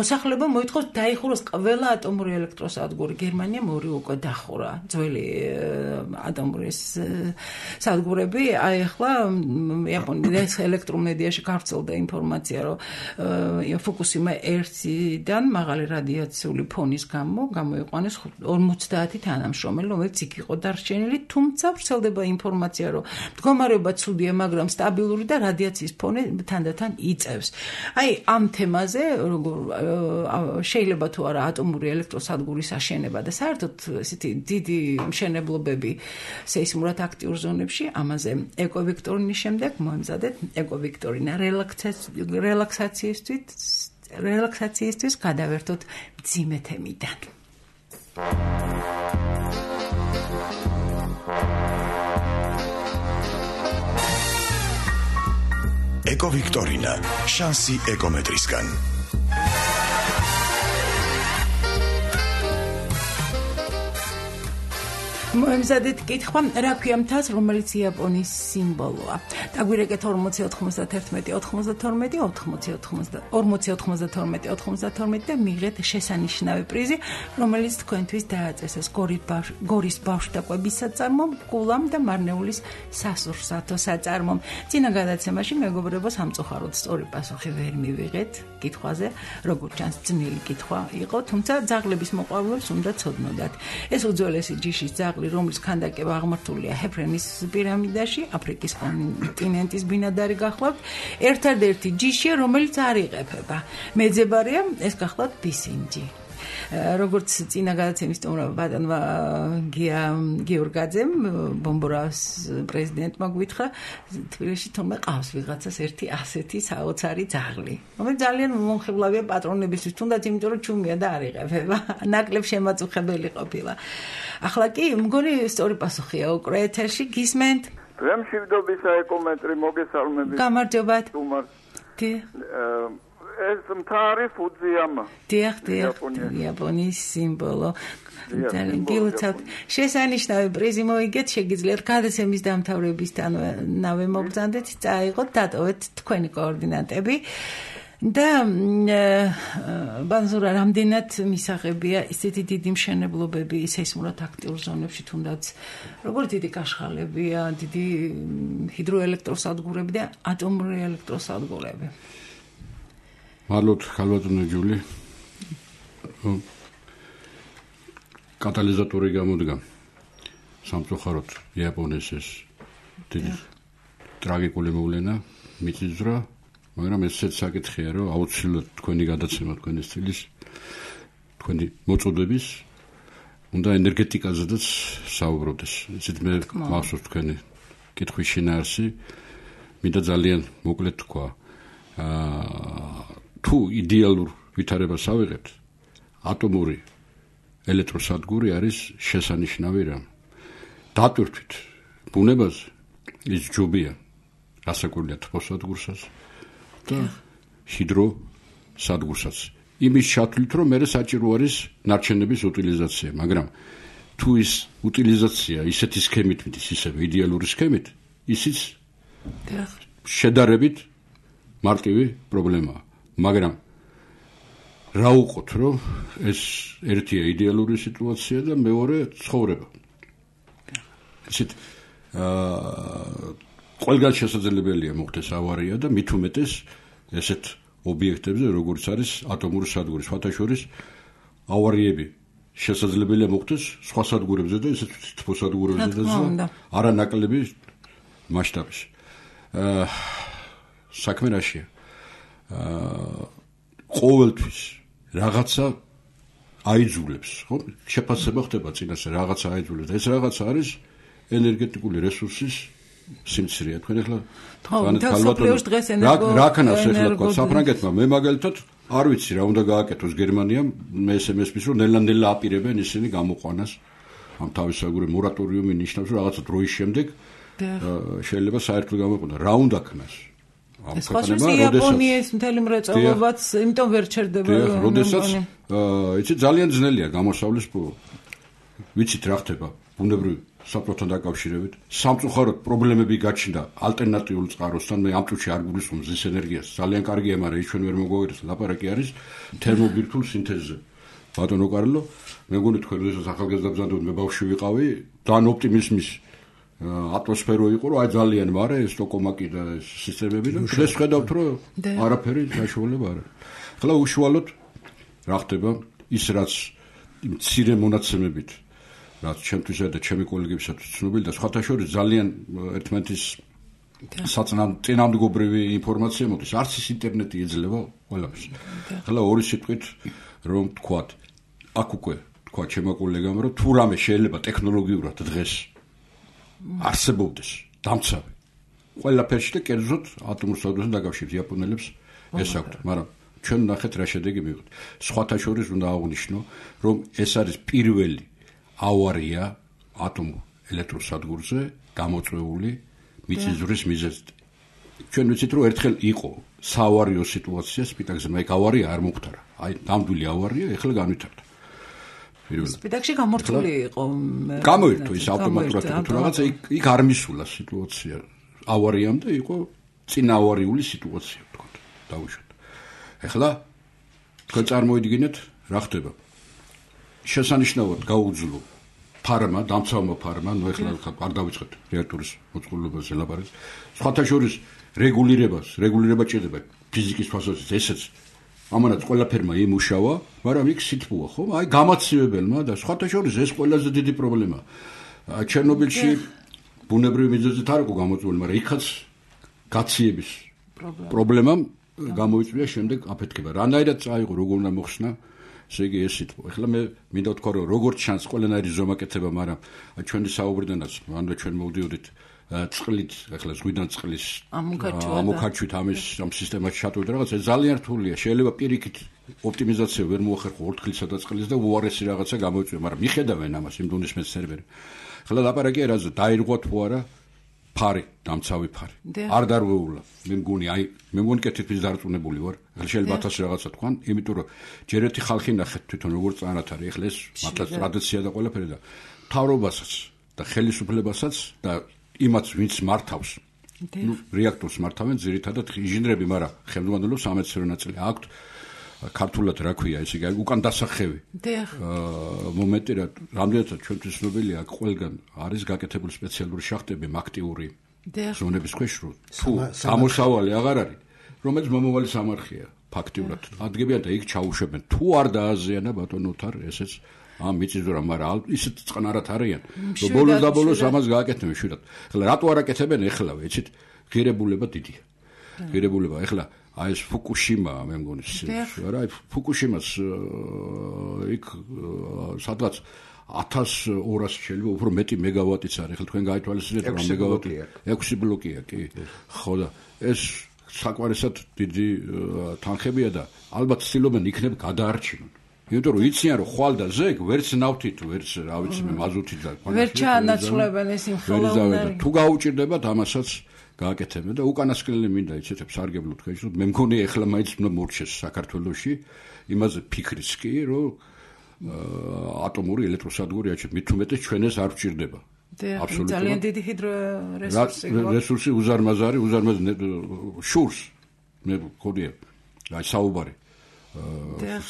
მოსახლეობა მოითხოვს დაიხუროს ყველა ატომური ელექტროსადგური. გერმანიამ ორი უკვე დახურა ძველი ატომური სადგურები. აი ახლა იაპონიის ელექტრომედიაში გავრცელდა ინფორმაცია, რომ ფუკუსიმა ერთიდან მაღალი რადიაციული ფონის გამო გამოიყვანეს ორმოცდაათი თანამშრომელი, რომელიც იქ იყო დარჩენილი, თუმცა ვრცელდება ინფორმაცია, რომ მდგომარეობა ცუდია, მაგრამ სტაბილური და რადიაციის ფონი თანდათან იწევს. აი ამ თემაზე, როგორ შეიძლება თუ არა ატომური ელექტროსადგურის აშენება და საერთოდ ესეთი დიდი მშენებლობები სეისმურად აქტიურ ზონებში, ამაზე ეკოვიქტორინის შემდეგ მოემზადეთ ეკოვიქტორინა რელაქსაციისთვის რელაქსაციისთვის გადავერთოთ მძიმე თემიდან. ეკოვიქტორინა, შანსი ეკომეტრისგან. მოემზადეთ კითხვა, რა ქვია მთას, რომელიც იაპონიის სიმბოლოა. დაგვირეკეთ ორმოცი ოთხმოცდათერთმეტი ოთხმოცდათორმეტი ორმოცი ოთხმოცდათორმეტი ოთხმოცდათორმეტი და მიიღეთ შესანიშნავი პრიზი, რომელიც თქვენთვის დააწესეს გორის ბავშვთაყვების საწარმომ, კულამ და მარნეულის სასურსათო საწარმომ. წინა გადაცემაში მეგობრებო სამწუხაროდ სწორი პასუხი ვერ მივიღეთ კითხვაზე, როგორც ჩანს ძნელი კითხვა იყო, თუმცა ძაღლების მოყვარულებს უნდა ცოდნოდათ. ეს უძველესი ჯიშის ძაღლი ძაღლი, რომლის ქანდაკება აღმართულია ჰეფრენის პირამიდაში, აფრიკის კონტინენტის ბინადარი გახლავთ, ერთადერთი ჯიშია, რომელიც არ იყეფება. მეძებარია, ეს გახლავთ ბისინჯი. როგორც წინა გადაცემის სტუმრობა ბატონმა გია გიორგაძემ ბომბორას პრეზიდენტმა გვითხრა თბილისში თორმე ყავს ვიღაცას ერთი ასეთი საოცარი ძაღლი რომელიც ძალიან მომხიბლავია პატრონებისთვის თუნდაც იმიტომ რომ ჩუმია და არ იყეფება ნაკლებ შემაწუხებელი ყოფილა ახლა კი მგონი სწორი პასუხია უკრე ეთერში გისმენთ რემშვიდობის საეკომენტრი მოგესალმებით გამარჯობათ კი ეს მთარი ფუძიამა. დიახ, დიახ, იაპონიის სიმბოლო. ძალიან გილოცავთ. შესანიშნავი პრიზი მოიგეთ, შეგიძლიათ გადაცემის დამთავრებისთანავე მოგბრძანდეთ, წაიღოთ, დატოვეთ თქვენი კოორდინატები. და ბანზურა რამდენად მისაღებია ისეთი დიდი მშენებლობები სეისმურად აქტიურ ზონებში თუნდაც როგორი დიდი კაშხალებია, დიდი ჰიდროელექტროსადგურები და ატომური ელექტროსადგურები. მადლობთ ხალბატონო ჯული. კატალიზატორი გამოდგა სამწუხაროდ იაპონიის ეს დიდი ტრაგიკული მოვლენა მიწისძვრა, მაგრამ ესეც საკითხია, რომ აუცილებლად თქვენი გადაცემა თქვენი სტილის, თქვენი მოწოდების უნდა ენერგეტიკაზედაც საუბრობდეს. იცით მე მახსოვს თქვენი კითხვის შინაარსი, მინდა ძალიან მოკლედ თქვა. აა თუ იდეალურ ვითარებას ავიღებთ, ატომური ელექტროსადგური არის შესანიშნავი რამ. დატვირთვით ბუნებაზე ის ჯობია, რასაკვირველია თბოსადგურსაც და ჰიდროსადგურსაც. იმის ჩათვლით, რომ მე საჭირო არის ნარჩენების უტილიზაცია, მაგრამ თუ ის უტილიზაცია ისეთი სქემით მიდის, ისევე იდეალური სქემით, ისიც შედარებით მარტივი პრობლემაა. მაგრამ რა უყოთ, რომ ეს ერთია იდეალური სიტუაცია და მეორე ცხოვრება. ისეთ აა ყველგან შესაძლებელია მოხდეს ავარია და მით უმეტეს ესეთ ობიექტებზე, როგორც არის ატომური სადგური, სხვათა შორის ავარიები შესაძლებელია მოხდეს სხვა სადგურებზე და ესეთ თბოსადგურებზე და არანაკლები მასშტაბის. აა საქმე რაშია? აა ყოველთვის რაღაცა აიძულებს, ხო? შეფასება ხდება წინასე რაღაცა აიძულებს. ეს რაღაცა არის ენერგეტიკული რესურსის სიმცირე. თქვენ ახლა რა ქნას ახლა თქვა საფრანგეთმა, მე მაგალითად არ ვიცი რა უნდა გააკეთოს გერმანიამ, მე ესემესმის რომ ნელა-ნელა აპირებენ ისინი გამოყვანას ამ თავისაგური მორატორიუმი ნიშნავს რომ რაღაცა დროის შემდეგ შეიძლება საერთოდ გამოყვანას. რა უნდა ქნას? ეს ხოჭის იაპონიის მთელი მრეწველობაც იმიტომ ვერ ჩერდება. როდესაც იცი ძალიან ძნელია გამოსავლის ვიცით რა ხდება ბუნებრივ საფრთხესთან დაკავშირებით. სამწუხაროდ პრობლემები გაჩნდა ალტერნატიულ წყაროსთან. მე ამ წუთში არ გულისხმობ მზის ენერგიას. ძალიან კარგია, მაგრამ ის ჩვენ ვერ მოგვაგვირებს. ლაპარაკი არის თერმობირთულ სინთეზზე. ბატონო კარლო, მე მგონი თქვენ როდესაც ახალგაზრდა ბრძანდებით მე ბავშვი ვიყავი, ძალიან ოპტიმიზმის ატმოსფერო იყო, რომ აი ძალიან მარე ეს ტოკომაკი და ეს სისტემები და დღეს ხედავთ, რომ არაფერი საშუალება არ არის. ახლა უშუალოდ რა ხდება ის რაც მცირე მონაცემებით რაც ჩემთვისა და ჩემი კოლეგებისათვის ცნობილი და სხვათა შორის ძალიან ერთმანეთის საწინააღმდეგობრივი ინფორმაცია მოდის. არც ის ინტერნეტი ეძლევა ყველაფერს. ახლა ორი სიტყვით რომ თქვათ, აქ უკვე თქვა ჩემო კოლეგამ, რომ თუ რამე შეიძლება ტექნოლოგიურად დღეს არსებობდეს დამცავი ყველაფერში და კერძოდ ატომურ სადგურთან დაკავშირებით იაპონელებს ეს აქვთ, მაგრამ ჩვენ ნახეთ რა შედეგი მივიღეთ. სხვათა შორის უნდა აღვნიშნო, რომ ეს არის პირველი ავარია ატომურ ელექტროსადგურზე გამოწვეული მიწისძვრის მიზეზით. ჩვენ ვიცით, რომ ერთხელ იყო საავარიო სიტუაცია სპიტაკზე, მაგრამ ეგ ავარია არ მომხდარა. აი, ნამდვილი ავარია ეხლა განვითარდა. სპიტაკში გამორთული იყო. გამოირთო ის ავტომატურად თუ რაღაცა იქ არ მისულა სიტუაცია ავარიამდე იყო წინაავარიული სიტუაცია თქო. დავუშვათ. ეხლა თქვენ წარმოიდგინეთ რა ხდება. შესანიშნავად გაუძლო ფარმა, დამცავმა ფარმა, ნუ ეხლა არ დავიწყეთ რეაქტორის მოწყობილობაზე ლაპარაკს. სხვათა შორის რეგულირებას, რეგულირება ჭირდება ფიზიკის თვალსაზრისით, ესეც ამანაც ყველაფერმა იმუშავა, მაგრამ იქ სითბოა, ხო? აი გამაცივებელმა და სხვათა შორის ეს ყველაზე დიდი პრობლემაა. ჩერნობილში ბუნებრივი მიზეზით არ იყო გამოწვეული, მაგრამ იქაც გაციების პრობლემამ გამოიწვია შემდეგ აფეთქება. რანაირად წაიღო, როგორ უნდა მოხსნა, ესე იგი ეს სიტყვა. ეხლა მე მინდა ვთქვა, რომ როგორც ჩანს ყველანაირი ზომაკეთება, მაგრამ ჩვენი საუბრიდანაც, ანუ ჩვენ მოვდიოდით წყლით, ეხლა ზღვიდან წყლის ამოქარჩვით ამის ამ სისტემაში ჩატოვეთ რაღაც, ეს ძალიან რთულია. შეიძლება პირიქით ოპტიმიზაცია ვერ მოახერხო ორთქლისა და წყლის და უარესი რაღაცა გამოიწვია, მაგრამ მიხედავენ ამას იმ დონის მეცნიერები. ეხლა ლაპარაკია რაზე დაირღვა თუ არა ფარი, დამცავი ფარი. არ დარღვეულა. მე მგონი, აი, მე მგონი კეთილფრის დარწმუნებული ვარ. ეხლა შეიძლება ათასი რაღაცა თქვან, იმიტომ რომ ჯერ ერთი ხალხი ნახეთ თვითონ როგორ წანათ არის. ეხლა ეს მართლაც ტრადიცია და ყველაფერი და მთავრობასაც და ხელისუფლებასაც და იმაც ვინც მართავს. ნუ რეაქტორს მართავენ ძირითადად ინჟინრები, მაგრამ ხელმძღვანელობს სამეცნიერო ნაწილი აქვთ. ქართულად რა ქვია, ესე იგი უკან დასახევი. აა მომენტი რა, რამდენადაც ჩვენთვის ცნობილია, აქ ყველგან არის გაკეთებული სპეციალური შახტები, აქტიური ზონების ქვეშ რო თუ გამოსავალი აღარ არის, რომელიც მომავალი სამარხია ფაქტიურად. ადგებიან და იქ ჩაუშვებენ. თუ არ დააზიანა ბატონო თარ, ესეც ამ მიწისძვრა, მაგრამ ისეთ წყნარად არიან. რომ ბოლოს და ბოლოს ამას გააკეთებენ შვიდად. ეხლა რატო არ აკეთებენ ეხლავე, იცით? ღირებულება დიდია. ღირებულება ეხლა აი ეს ფუკუშიმა მე მგონი რა აი ფუკუშიმას იქ სადღაც ათას ორას შეიძლება უფრო მეტი მეგავატიც არის. ეხლა თქვენ გაითვალისწინეთ რა მეგავატი ექვსი ბლოკია კი ხო და ეს საკმარისად დიდი თანხებია და ალბათ ცდილობენ იქნებ გადაარჩინონ. იმიტომ რომ იციან რომ ხვალ და ზეგ ვერც ნავთით ვერც რა ვიცი მე მაზუთით და ვერ ჩაანაცვლებენ ეს ინფრაუნდარი. თუ გაუჭირდებათ ამასაც გააკეთებენ და უკანასკნელი მინდა იცით სარგებლო თქვენ რომ მე მგონი ეხლა მაინც უნდა მორჩეს საქართველოში იმაზე ფიქრიც კი რომ ატომური ელექტროსადგური აჩვენებს მით უმეტეს ჩვენ ეს არ ვჭირდება აბსოლუტურად ძალიან დიდი ჰიდრორესურსი რესურსი უზარმაზარი უზარმაზ შურს მე მგონია აი საუბარი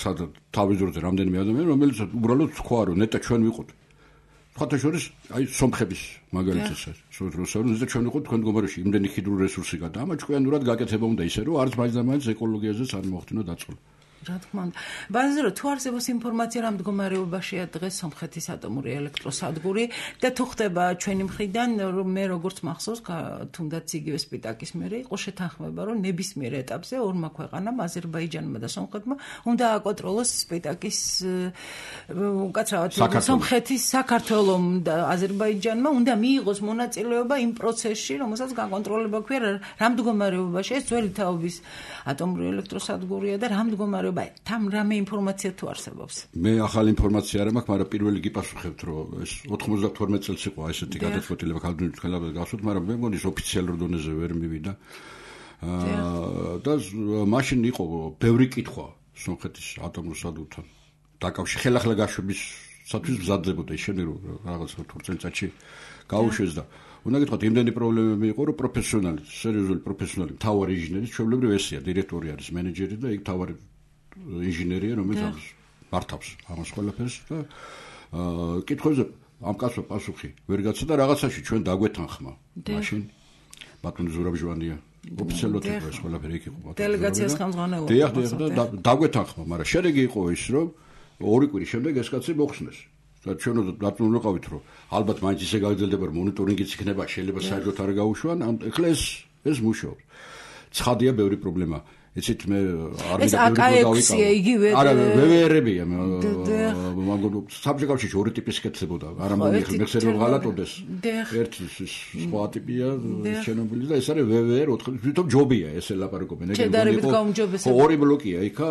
სადა თავიზურზე რამდენიმე ადამიანი რომელიც უბრალოდ თქვა რომ ნეტა ჩვენ ვიყოთ ხოთა შორის აი სომხების მაგალითად რუსთავის და ჩვენ ვიყოთ თქვენ მდგომარეში იმდენი ჰიდრულ რესურსი გადა ამა ჭკვიანურად გაკეთება უნდა ისე რომ არც მაინც და მაინც ეკოლოგიაზეც არ მოხდინო დაწოლა. რა თქმა უნდა. ბაზარო თუ არსებობს ინფორმაცია რა მდგომარეობაშია დღეს სომხეთის ატომური ელექტროსადგური და თუ ხდება ჩვენი მხრიდან რომ მე როგორც მახსოვს თუნდაც იგივე სპიტაკის მერე იყო შეთანხმება რომ ნებისმიერ ეტაპზე ორმა ქვეყანამ აზერბაიჯანმა და სომხეთმა უნდა აკონტროლოს სპიტაკის უკაცრავად სომხეთის საქართველომ და აზერბაიჯანმა უნდა მიიღოს მონაწილეობა იმ პროცესში რომელსაც გაკონტროლება ქვია რა მდგომარეობაში ეს ძველი თაობის ატომური ელექტროსადგურია და რა მდგომარეობა там რამე ინფორმაცია თუ არსებობს. მე ახალი ინფორმაცია არ მაქვს, მაგრამ პირველი გიპასუხებთ, რომ ეს ოთხმოცდათორმეტ წელს იყო ესეთი გადაწყვეტილება ქალბატონის ხელაფასად გასვით, მაგრამ მე მგონი ოფიციალურ დონეზე ვერ მივიდა. და მაშინ იყო ბევრი კითხვა სომხეთის ატომურ სადგურთან დაკავშირებით ხელახლა გაშვებისათვის მზადდებოდა ის შემდეგ რომ რაღაც ოთხ წელიწადში გაუშვეს და უნდა გითხრათ იმდენი პრობლემები იყო რომ პროფესიონალი, სერიოზული პროფესიონალი, მთავარი ინჟინერი, ჩვეულებრივ ესეა, დირექტორი არის, მენეჯერი და იქ მთავარი ინჟინერია, რომელიც მართავს ამას ყველაფერს და კითხვებზე ამ კაცმა პასუხი ვერ გაცა და რაღაცაში ჩვენ დაგვეთანხმა მაშინ ბატონი ზურაბჟვანია ოფიციალურად იყო ეს ყველაფერი იქ იყო დელეგაციას ხელმძღვანელობა. დიახ, დიახ და დაგვეთანხმა, მაგრამ შედეგი იყო ის რომ ორი კვირის შემდეგ ეს კაცი მოხსნეს. და ჩვენ დაწუნული ვიყავით რომ ალბათ მაინც ისე გაგრძელდება რომ მონიტორინგიც იქნება, შეიძლება საერთოდ არ გაუშვან, ამ ეხლა ეს ეს მუშაობს. ცხადია ბევრი პრობლემა. იცით მე არ მინდა ბევრი დავიკავო. არა, ვევერებია. მაგალითად, საბჭოებში ორი ტიპის კეთდებოდა. არა მომიხი, მეხსერო ღალატოდეს. ერთი სხვა ტიპია, ჩერნობილი და ეს არის ვევერ ოთხ, თვითონ ჯობია ესე ლაპარაკობენ. ეგრე ორი ბლოკია, იქა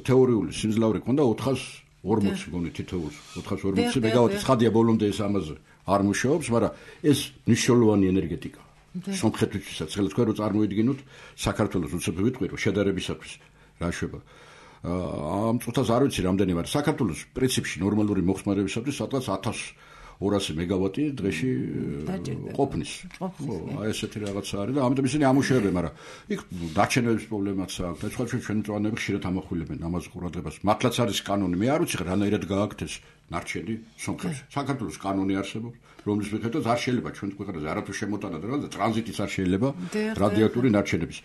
თეორიული სიმძლავრე ქონდა ოთხას ორმოცი გონი თითოეულს ოთხას ორმოცი მეგავატი. ცხადია ბოლომდე ეს ამაზე არ მუშაობს, მაგრამ ეს მნიშვნელოვანი ენერგეტიკა. სომხეთისთვისაც ხელს თქვენ რო წარმოიდგინოთ საქართველოს უცებ ვიტყვი რომ შედარებისათვის რა შვება ამ წუთას არ ვიცი რამდენი მაგრამ საქართველოს პრინციპში ნორმალური მოხსნარებისათვის სადღაც ათას ორასი მეგავატი დღეში ყოფნის ხო აი ესეთი რაღაცა არის და ამიტომ ისინი ამუშავებენ მაგრამ იქ დაჩენების პრობლემაც აქვს და სხვა ჩვენ მწვანეები ხშირად ამახვილებენ ამაზე ყურადღებას მართლაც არის კანონი მე არ ვიცი რანაირად გააკეთეს ნარჩენი სომხეთში საქართველოს კანონი არსებობს რომლის მიხედვით არ შეიძლება ჩვენ ქვეყანაზე არათუ შემოტანა და რა ტრანზიტიც არ შეიძლება რადიოაქტიური ნარჩენების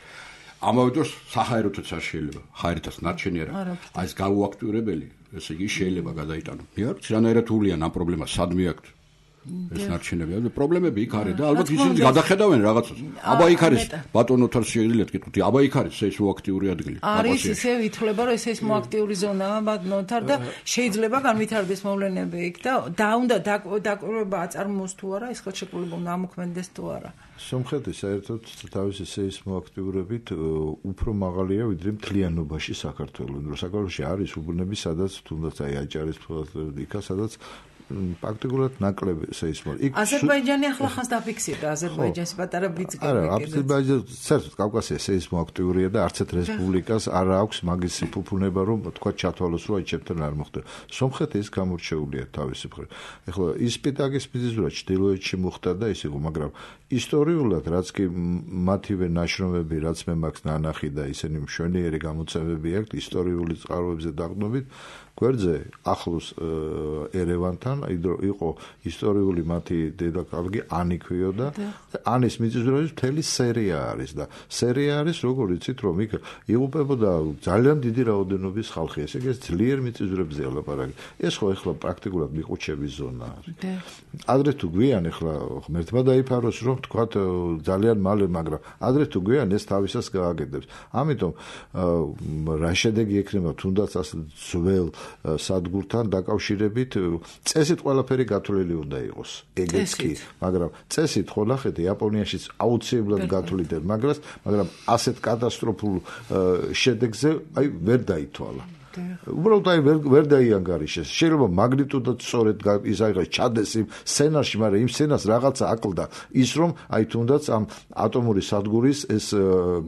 ამავე დროს საჰაეროთაც არ შეიძლება ჰაერითაც ნარჩენი არა აი ეს გაუაქტიურებელი ესე იგი შეიძლება გადაიტანო მე არ ვიცი რანაირად ულიან ამ პრობლემას სად მიაქვთ ეს ნარჩენები. პრობლემები იქ არის და ალბათ ისინი გადახედავენ რაღაცას. აბა იქ არის ბატონო თორ შეიძლება გეტყვი, აბა იქ არის სეისმოაქტიური ადგილი. არის ისე ითვლება რომ სეისმოაქტიური ზონაა ბატონოთარ და შეიძლება განვითარდეს მოვლენები იქ და და უნდა დაკვირვება აწარმოოს თუ არა, ეს ხელშეკრულება უნდა ამოქმედდეს თუ არა. სომხეთი საერთოდ თავისი სეისმოაქტიურობით უფრო მაღალია ვიდრე მთლიანობაში საქართველოს. რომ საქართველოში არის უბნები, სადაც თუნდაც აი აჭარის იქა, სადაც პრაქტიკულად ნაკლები სეისმოაქტიურობა. აზერბაიჯანი ახლა ხანს დაფიქსირდა, აზერბაიჯანის პატარა ბიძგები. არა, აზერბაიჯანი საერთოდ კავკასია სეისმოაქტიურია და არც ერთ რესპუბლიკას არ აქვს მაგის ფუფუნება, რომ თქვა ჩათვალოს, რომ აი ჩემთან არ მოხდა. სომხეთი ის გამორჩეულია თავისი მხრივ. ეხლა ის სპიტაკის მიზეზურად ჩრდილოეთში მოხდა და ის იყო, მაგრამ ისტორიულად რაც კი მათივე ნაშრომები, რაც მე მაქვს ნანახი და ისინი მშვენიერი გამოცემები აქვთ ისტორიული წყაროებზე დაყრდნობით, გვერდზე ახლოს ერევანთან იყო ისტორიული მათი დედაქალაქი ანი ქვიოდა და ანის მიწისძვრების მთელი სერია არის და სერია არის როგორ იცით რომ იქ იღუპებოდა ძალიან დიდი რაოდენობის ხალხი ესე იგი ძლიერ მიწისძვრებზე ლაპარაკი ეს ხო ეხლა პრაქტიკულად მიყუჩების ზონა არის ადრე თუ გვიან ეხლა ღმერთმა დაიფაროს რომ თქვათ ძალიან მალე მაგრამ ადრე თუ გვიან ეს თავისას გააგებებს ამიტომ რა შედეგი ექნება თუნდაც ასე ძველ სადგურთან დაკავშირებით წესით ყველაფერი გათვლილი უნდა იყოს ეგეც კი მაგრამ წესით ხო ნახეთ იაპონიაშიც აუცილებლად გათვლით მაგრამ მაგრამ ასეთ კატასტროფულ შედეგზე აი ვერ დაითვალა უბრალოდ აი ვერ დაიანგარიშეს შეიძლება მაგნიტუდად სწორედ ის აიღეს ჩადეს იმ სცენარში მაგრამ იმ სცენას რაღაცა აკლდა ის რომ აი თუნდაც ამ ატომური სადგურის ეს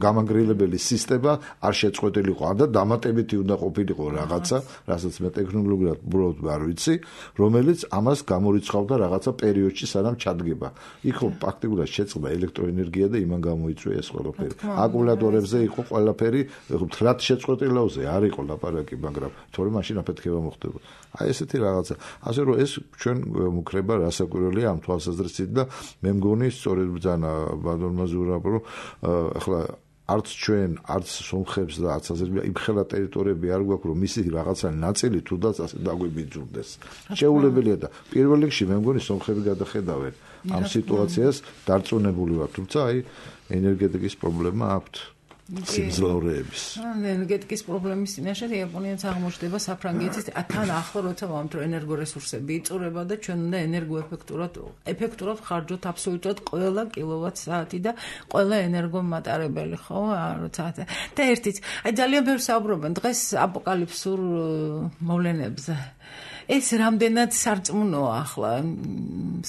გამანგრელებელი სისტემა არ შეწყვეტილიყო და დამატებითი უნდა ყოფილიყო რაღაცა რასაც მე ტექნოლოგიურად უბრალოდ არ ვიცი რომელიც ამას გამორიცხავდა რაღაცა პერიოდში სანამ ჩადგება იქ ხო პრაქტიკულად შეწყდა ელექტროენერგია და იმან გამოიწვია ეს ყველაფერი აკუმულატორებზე იყო ყველაფერი მთლად შეწყვეტილოზე არ იყო ლაპარაკი მაგრამ თორე მაშინ აფეთქება მოხდება. აი ესეთი რაღაცა. ასე რომ ეს ჩვენ მუქრება რასაკვირველია ამ თვალსაზრისით და მე მგონი სწორედ ბრძანა ბატონმა ზურაბ რომ ახლა არც ჩვენ არც სომხებს და არც აზერბაიჯანს იმ ხელა ტერიტორიები არ გვაქვს რომ მისი რაღაცა ნაწილი თუდაც ასე დაგვიბიძურდეს. შეუძლებელია და პირველ რიგში მე მგონი სომხები გადახედავენ ამ სიტუაციას დარწმუნებული ვარ თუმცა აი ენერგეტიკის პრობლემა აქვთ. სიმძლავრეების. ენერგეტიკის პრობლემის წინაშე იაპონიაც აღმოჩნდება საფრანგეთის თან ახლა როცა ვამბობთ რომ ენერგორესურსები იწურება და ჩვენ უნდა ენერგოეფექტურად ეფექტურად ხარჯოთ აბსოლუტურად ყველა კილოვატ-საათი და ყველა ენერგომატარებელი ხო როცა და ერთიც აი ძალიან ბევრს საუბრობენ დღეს აპოკალიფსურ მოვლენებზე ეს რამდენად სარწმუნოა ახლა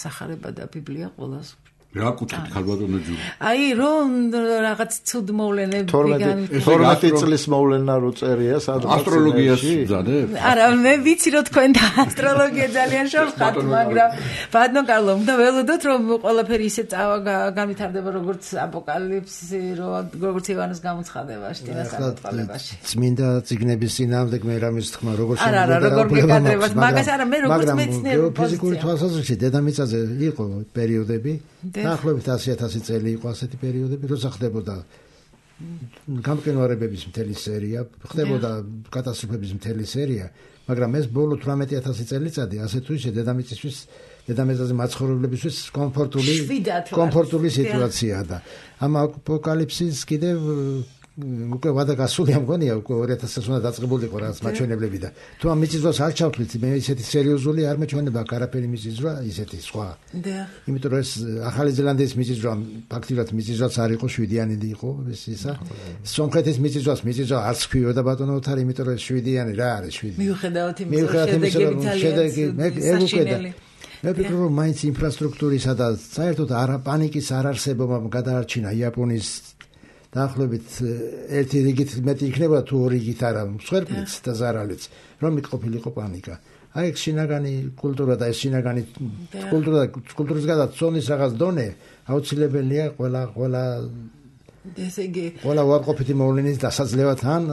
სახარება და ბიბლია ყველას რა კუთხით ხალბატონო ჯური აი რომ რაღაც ცუდ მოვლენები თორმეტი წლის მოვლენა რო წერია სადღაც ასტროლოგიას ვზადებ არა მე ვიცი რომ თქვენ და ასტროლოგია ძალიან შევხართ მაგრამ ბატონო კარლო უნდა ველოდოთ რომ ყველაფერი ისე განვითარდება როგორც აპოკალიფსი როგორც ივანეს გამოცხადებაში დინასტიებაში წმინდა წიგნების წინააღმდეგ მე რამის თქმა როგორც არა არა როგორ მეკადრებას მაგას არა მე როგორც მეცნიერი ფიზიკური თვალსაზრისით დედამიწაზე იყო პერიოდები დაახლოებით ასი ათასი წელი იყო ასეთი პერიოდები, როცა ხდებოდა გამყინვარებების მთელი სერია, ხდებოდა კატასტროფების მთელი სერია, მაგრამ ეს ბოლო თვრამეტი ათასი წელიწადი ასე თუ ისე დედამიწისთვის, დედამიწაზე მაცხოვრებლებისთვის კომფორტული კომფორტული სიტუაციაა და ამ აპოკალიფსის კიდევ უკვე ვადა გასულია მგონია უკვე ორი ათასი წელს უნდა დაწყებულიყო რაღაც მაჩვენებლები და თუ ამ მიწისძვრას არ ჩავთვლით მე ისეთი სერიოზული არ მეჩვენება არაფერი მიწისძვრა ისეთი სხვა იმიტომ რომ ეს ახალი ზელანდიის მიწისძვრა ფაქტიურად მიწისძვრაც არ იყო შვიდიანი იყო ეს ისა სომხეთის მიწისძვრას მიწისძვრა არც ქვიოდა ბატონო ოთარი იმიტომ რომ შვიდიანი რა არის შვიდი მიუხედავად იმისა შედეგები მე ეგ უკვე და მე ვფიქრობ რომ მაინც ინფრასტრუქტურისა და საერთოდ არა პანიკის არ არსებობამ გადაარჩინა იაპონიის დაახლოებით ერთი რიგით მეტი იქნება თუ ორი რიგით არა მსხვერპლიც და ზარალიც რომ იყოფილიყო პანიკა აი ეს შინაგანი კულტურა და ეს შინაგანი კულტურა კულტურის გადაცონის რაღაც დონე აუცილებელია ყველა ყველა ესე იგი ყველა უარყოფითი მოვლენის დასაძლევად ან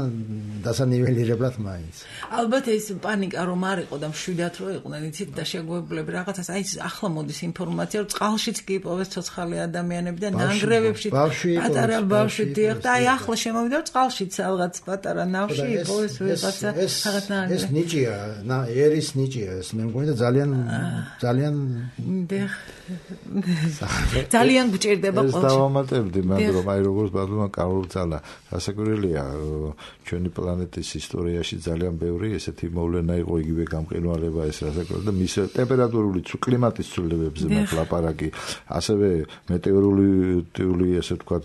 დასანიველირებლად მაინც. ალბათ ეს პანიკა რომ არ იყო და მშვიდად რო იყვნენ, იცით და შეგვეუბნები რაღაცას, აი ახლა მოდის ინფორმაცია, რომ წყალშიც კი იპოვეს ცოცხალი ადამიანები და ნანგრევებში პატარა ბავშვი დიახ და აი ახლა შემოვიდა რომ წყალშიც რაღაც პატარა ნავში იპოვეს ვიღაცა რაღაც ნანგრევი. ეს ნიჭია, ერის ნიჭია ეს, მე მგონი და ძალიან ძალიან დიახ ძალიან გჭირდება ეს დავამატებდი, მაგრამ აი როგორც ბატონმა კარლოცა გასაკვირველია, ჩვენი პლანეტის ისტორიაში ძალიან ბევრი ესეთი მოვლენა იყო, იგივე გამყინვარება ეს რასაკვირველია და მის ტემპერატურული კლიმატის ცვლილებებზე მათ ლაპარაკი, ასევე მეტეოროლოგიური ესე ვთქვათ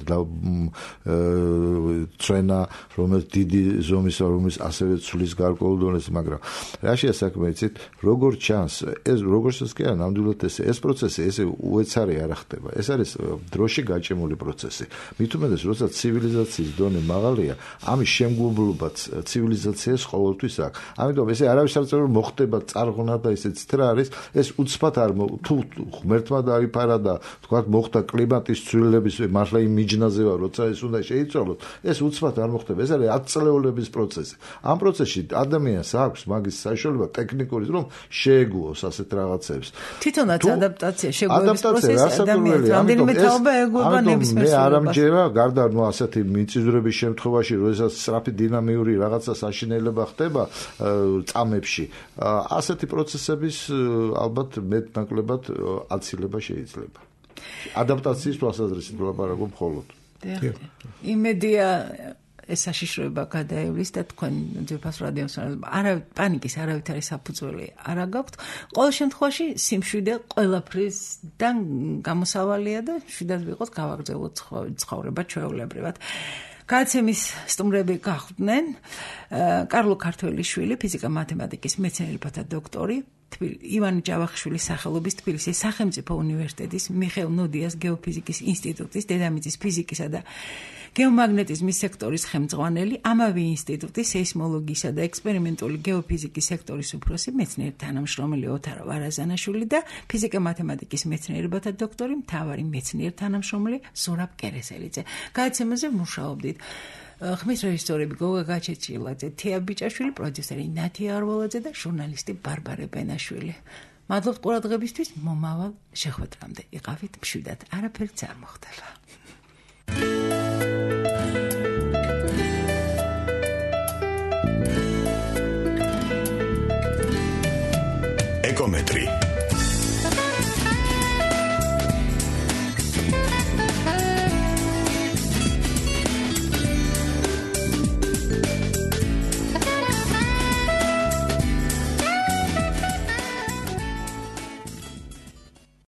წვენა, რომელიც დიდი ზომის რომელიც ასევე ცვლის გარკვეულ დონეზე, მაგრამ რაშია საქმე, იცით, როგორც ჩანს, ეს როგორც კი არა, ნამდვილად ეს ეს პროცესი ესე უეცარი არ ხდება. ეს არის დროში გაჭიმული პროცესი. მით უმეტეს, როცა ცივილიზაციის დონე მაღალია, ამის შემგებლობაც ცივილიზაციას ყოველთვის აქვს. ამიტომ ესე არავის არ წერს რომ მოხდება წარღვნა და ისეც რა არის, ეს უცბად არ თუ ღმერთმა დაიფარა და თქვათ მოხდა კლიმატის ცვლილების მართლა იმ მიჯნაზე ვარ, როცა ეს უნდა შეიცვალოს, ეს უცბად არ მოხდება. ეს არის ათწლეულების პროცესი. ამ პროცესში ადამიანს აქვს მაგის საშუალება ტექნიკური რომ შეეგუოს ასეთ რაღაცებს. თვითონაც ადაპტაცია შეგვეუბნის პროცესი ადამიანს რამდენიმე თაობა ეგუება ნებისმიერ სრულებას. მე არ ამჯერა გარდა ნუ ასეთი მიწისძვრების შემთხვევაში, როდესაც სწრაფი დინამიური რაღაცა საშინელება ხდება წამებში, ასეთი პროცესების ალბათ მეტნაკლებად აცილება შეიძლება. ადაპტაციის თვალსაზრისით ვლაპარაკობ მხოლოდ. იმედია ეს საშიშროება გადაევლის და თქვენ ძვირფას რადიოს არა პანიკის არავით არის საფუძველი არ გაქვთ. ყოველ შემთხვევაში სიმშვიდე ყველაფრისგან გამოსავალია და შვიდად ვიყოთ გავაგრძელოთ ცხოვრება ჩვეულებრივად. გადაცემის სტუმრები გახდნენ კარლო ქართველიშვილი, ფიზიკა-მათემატიკის მეცნიერებათა დოქტორი, ივანე ჯავახიშვილის სახელობის თბილისის სახელმწიფო უნივერსიტეტის მიხეილ ნოდიას გეოფიზიკის ინსტიტუტის დედამიწის ფიზიკისა და გეომაგნეტიზმის სექტორის ხელმძღვანელი, ამავე ინსტიტუტის სეისმოლოგიისა და ექსპერიმენტული გეოფიზიკის სექტორის უფროსი მეცნიერ თანამშრომელი ოთარ ვარაზანაშვილი და ფიზიკა-მათემატიკის მეცნიერებათა დოქტორი, მთავარი მეცნიერ თანამშრომელი ზურაბ კერესელიძე. გადაცემაზე მუშაობდით ხმის რეჟისორები გოგა გაჩეჩილაძე, თია ბიჭაშვილი, პროდიუსერი ნათია არვალაძე და ჟურნალისტი ბარბარე ბენაშვილი. მადლობთ ყურადღებისთვის, მომავალ შეხვედრამდე იყავით მშვიდად, არაფერიც არ მოხდება. ეკომეტრი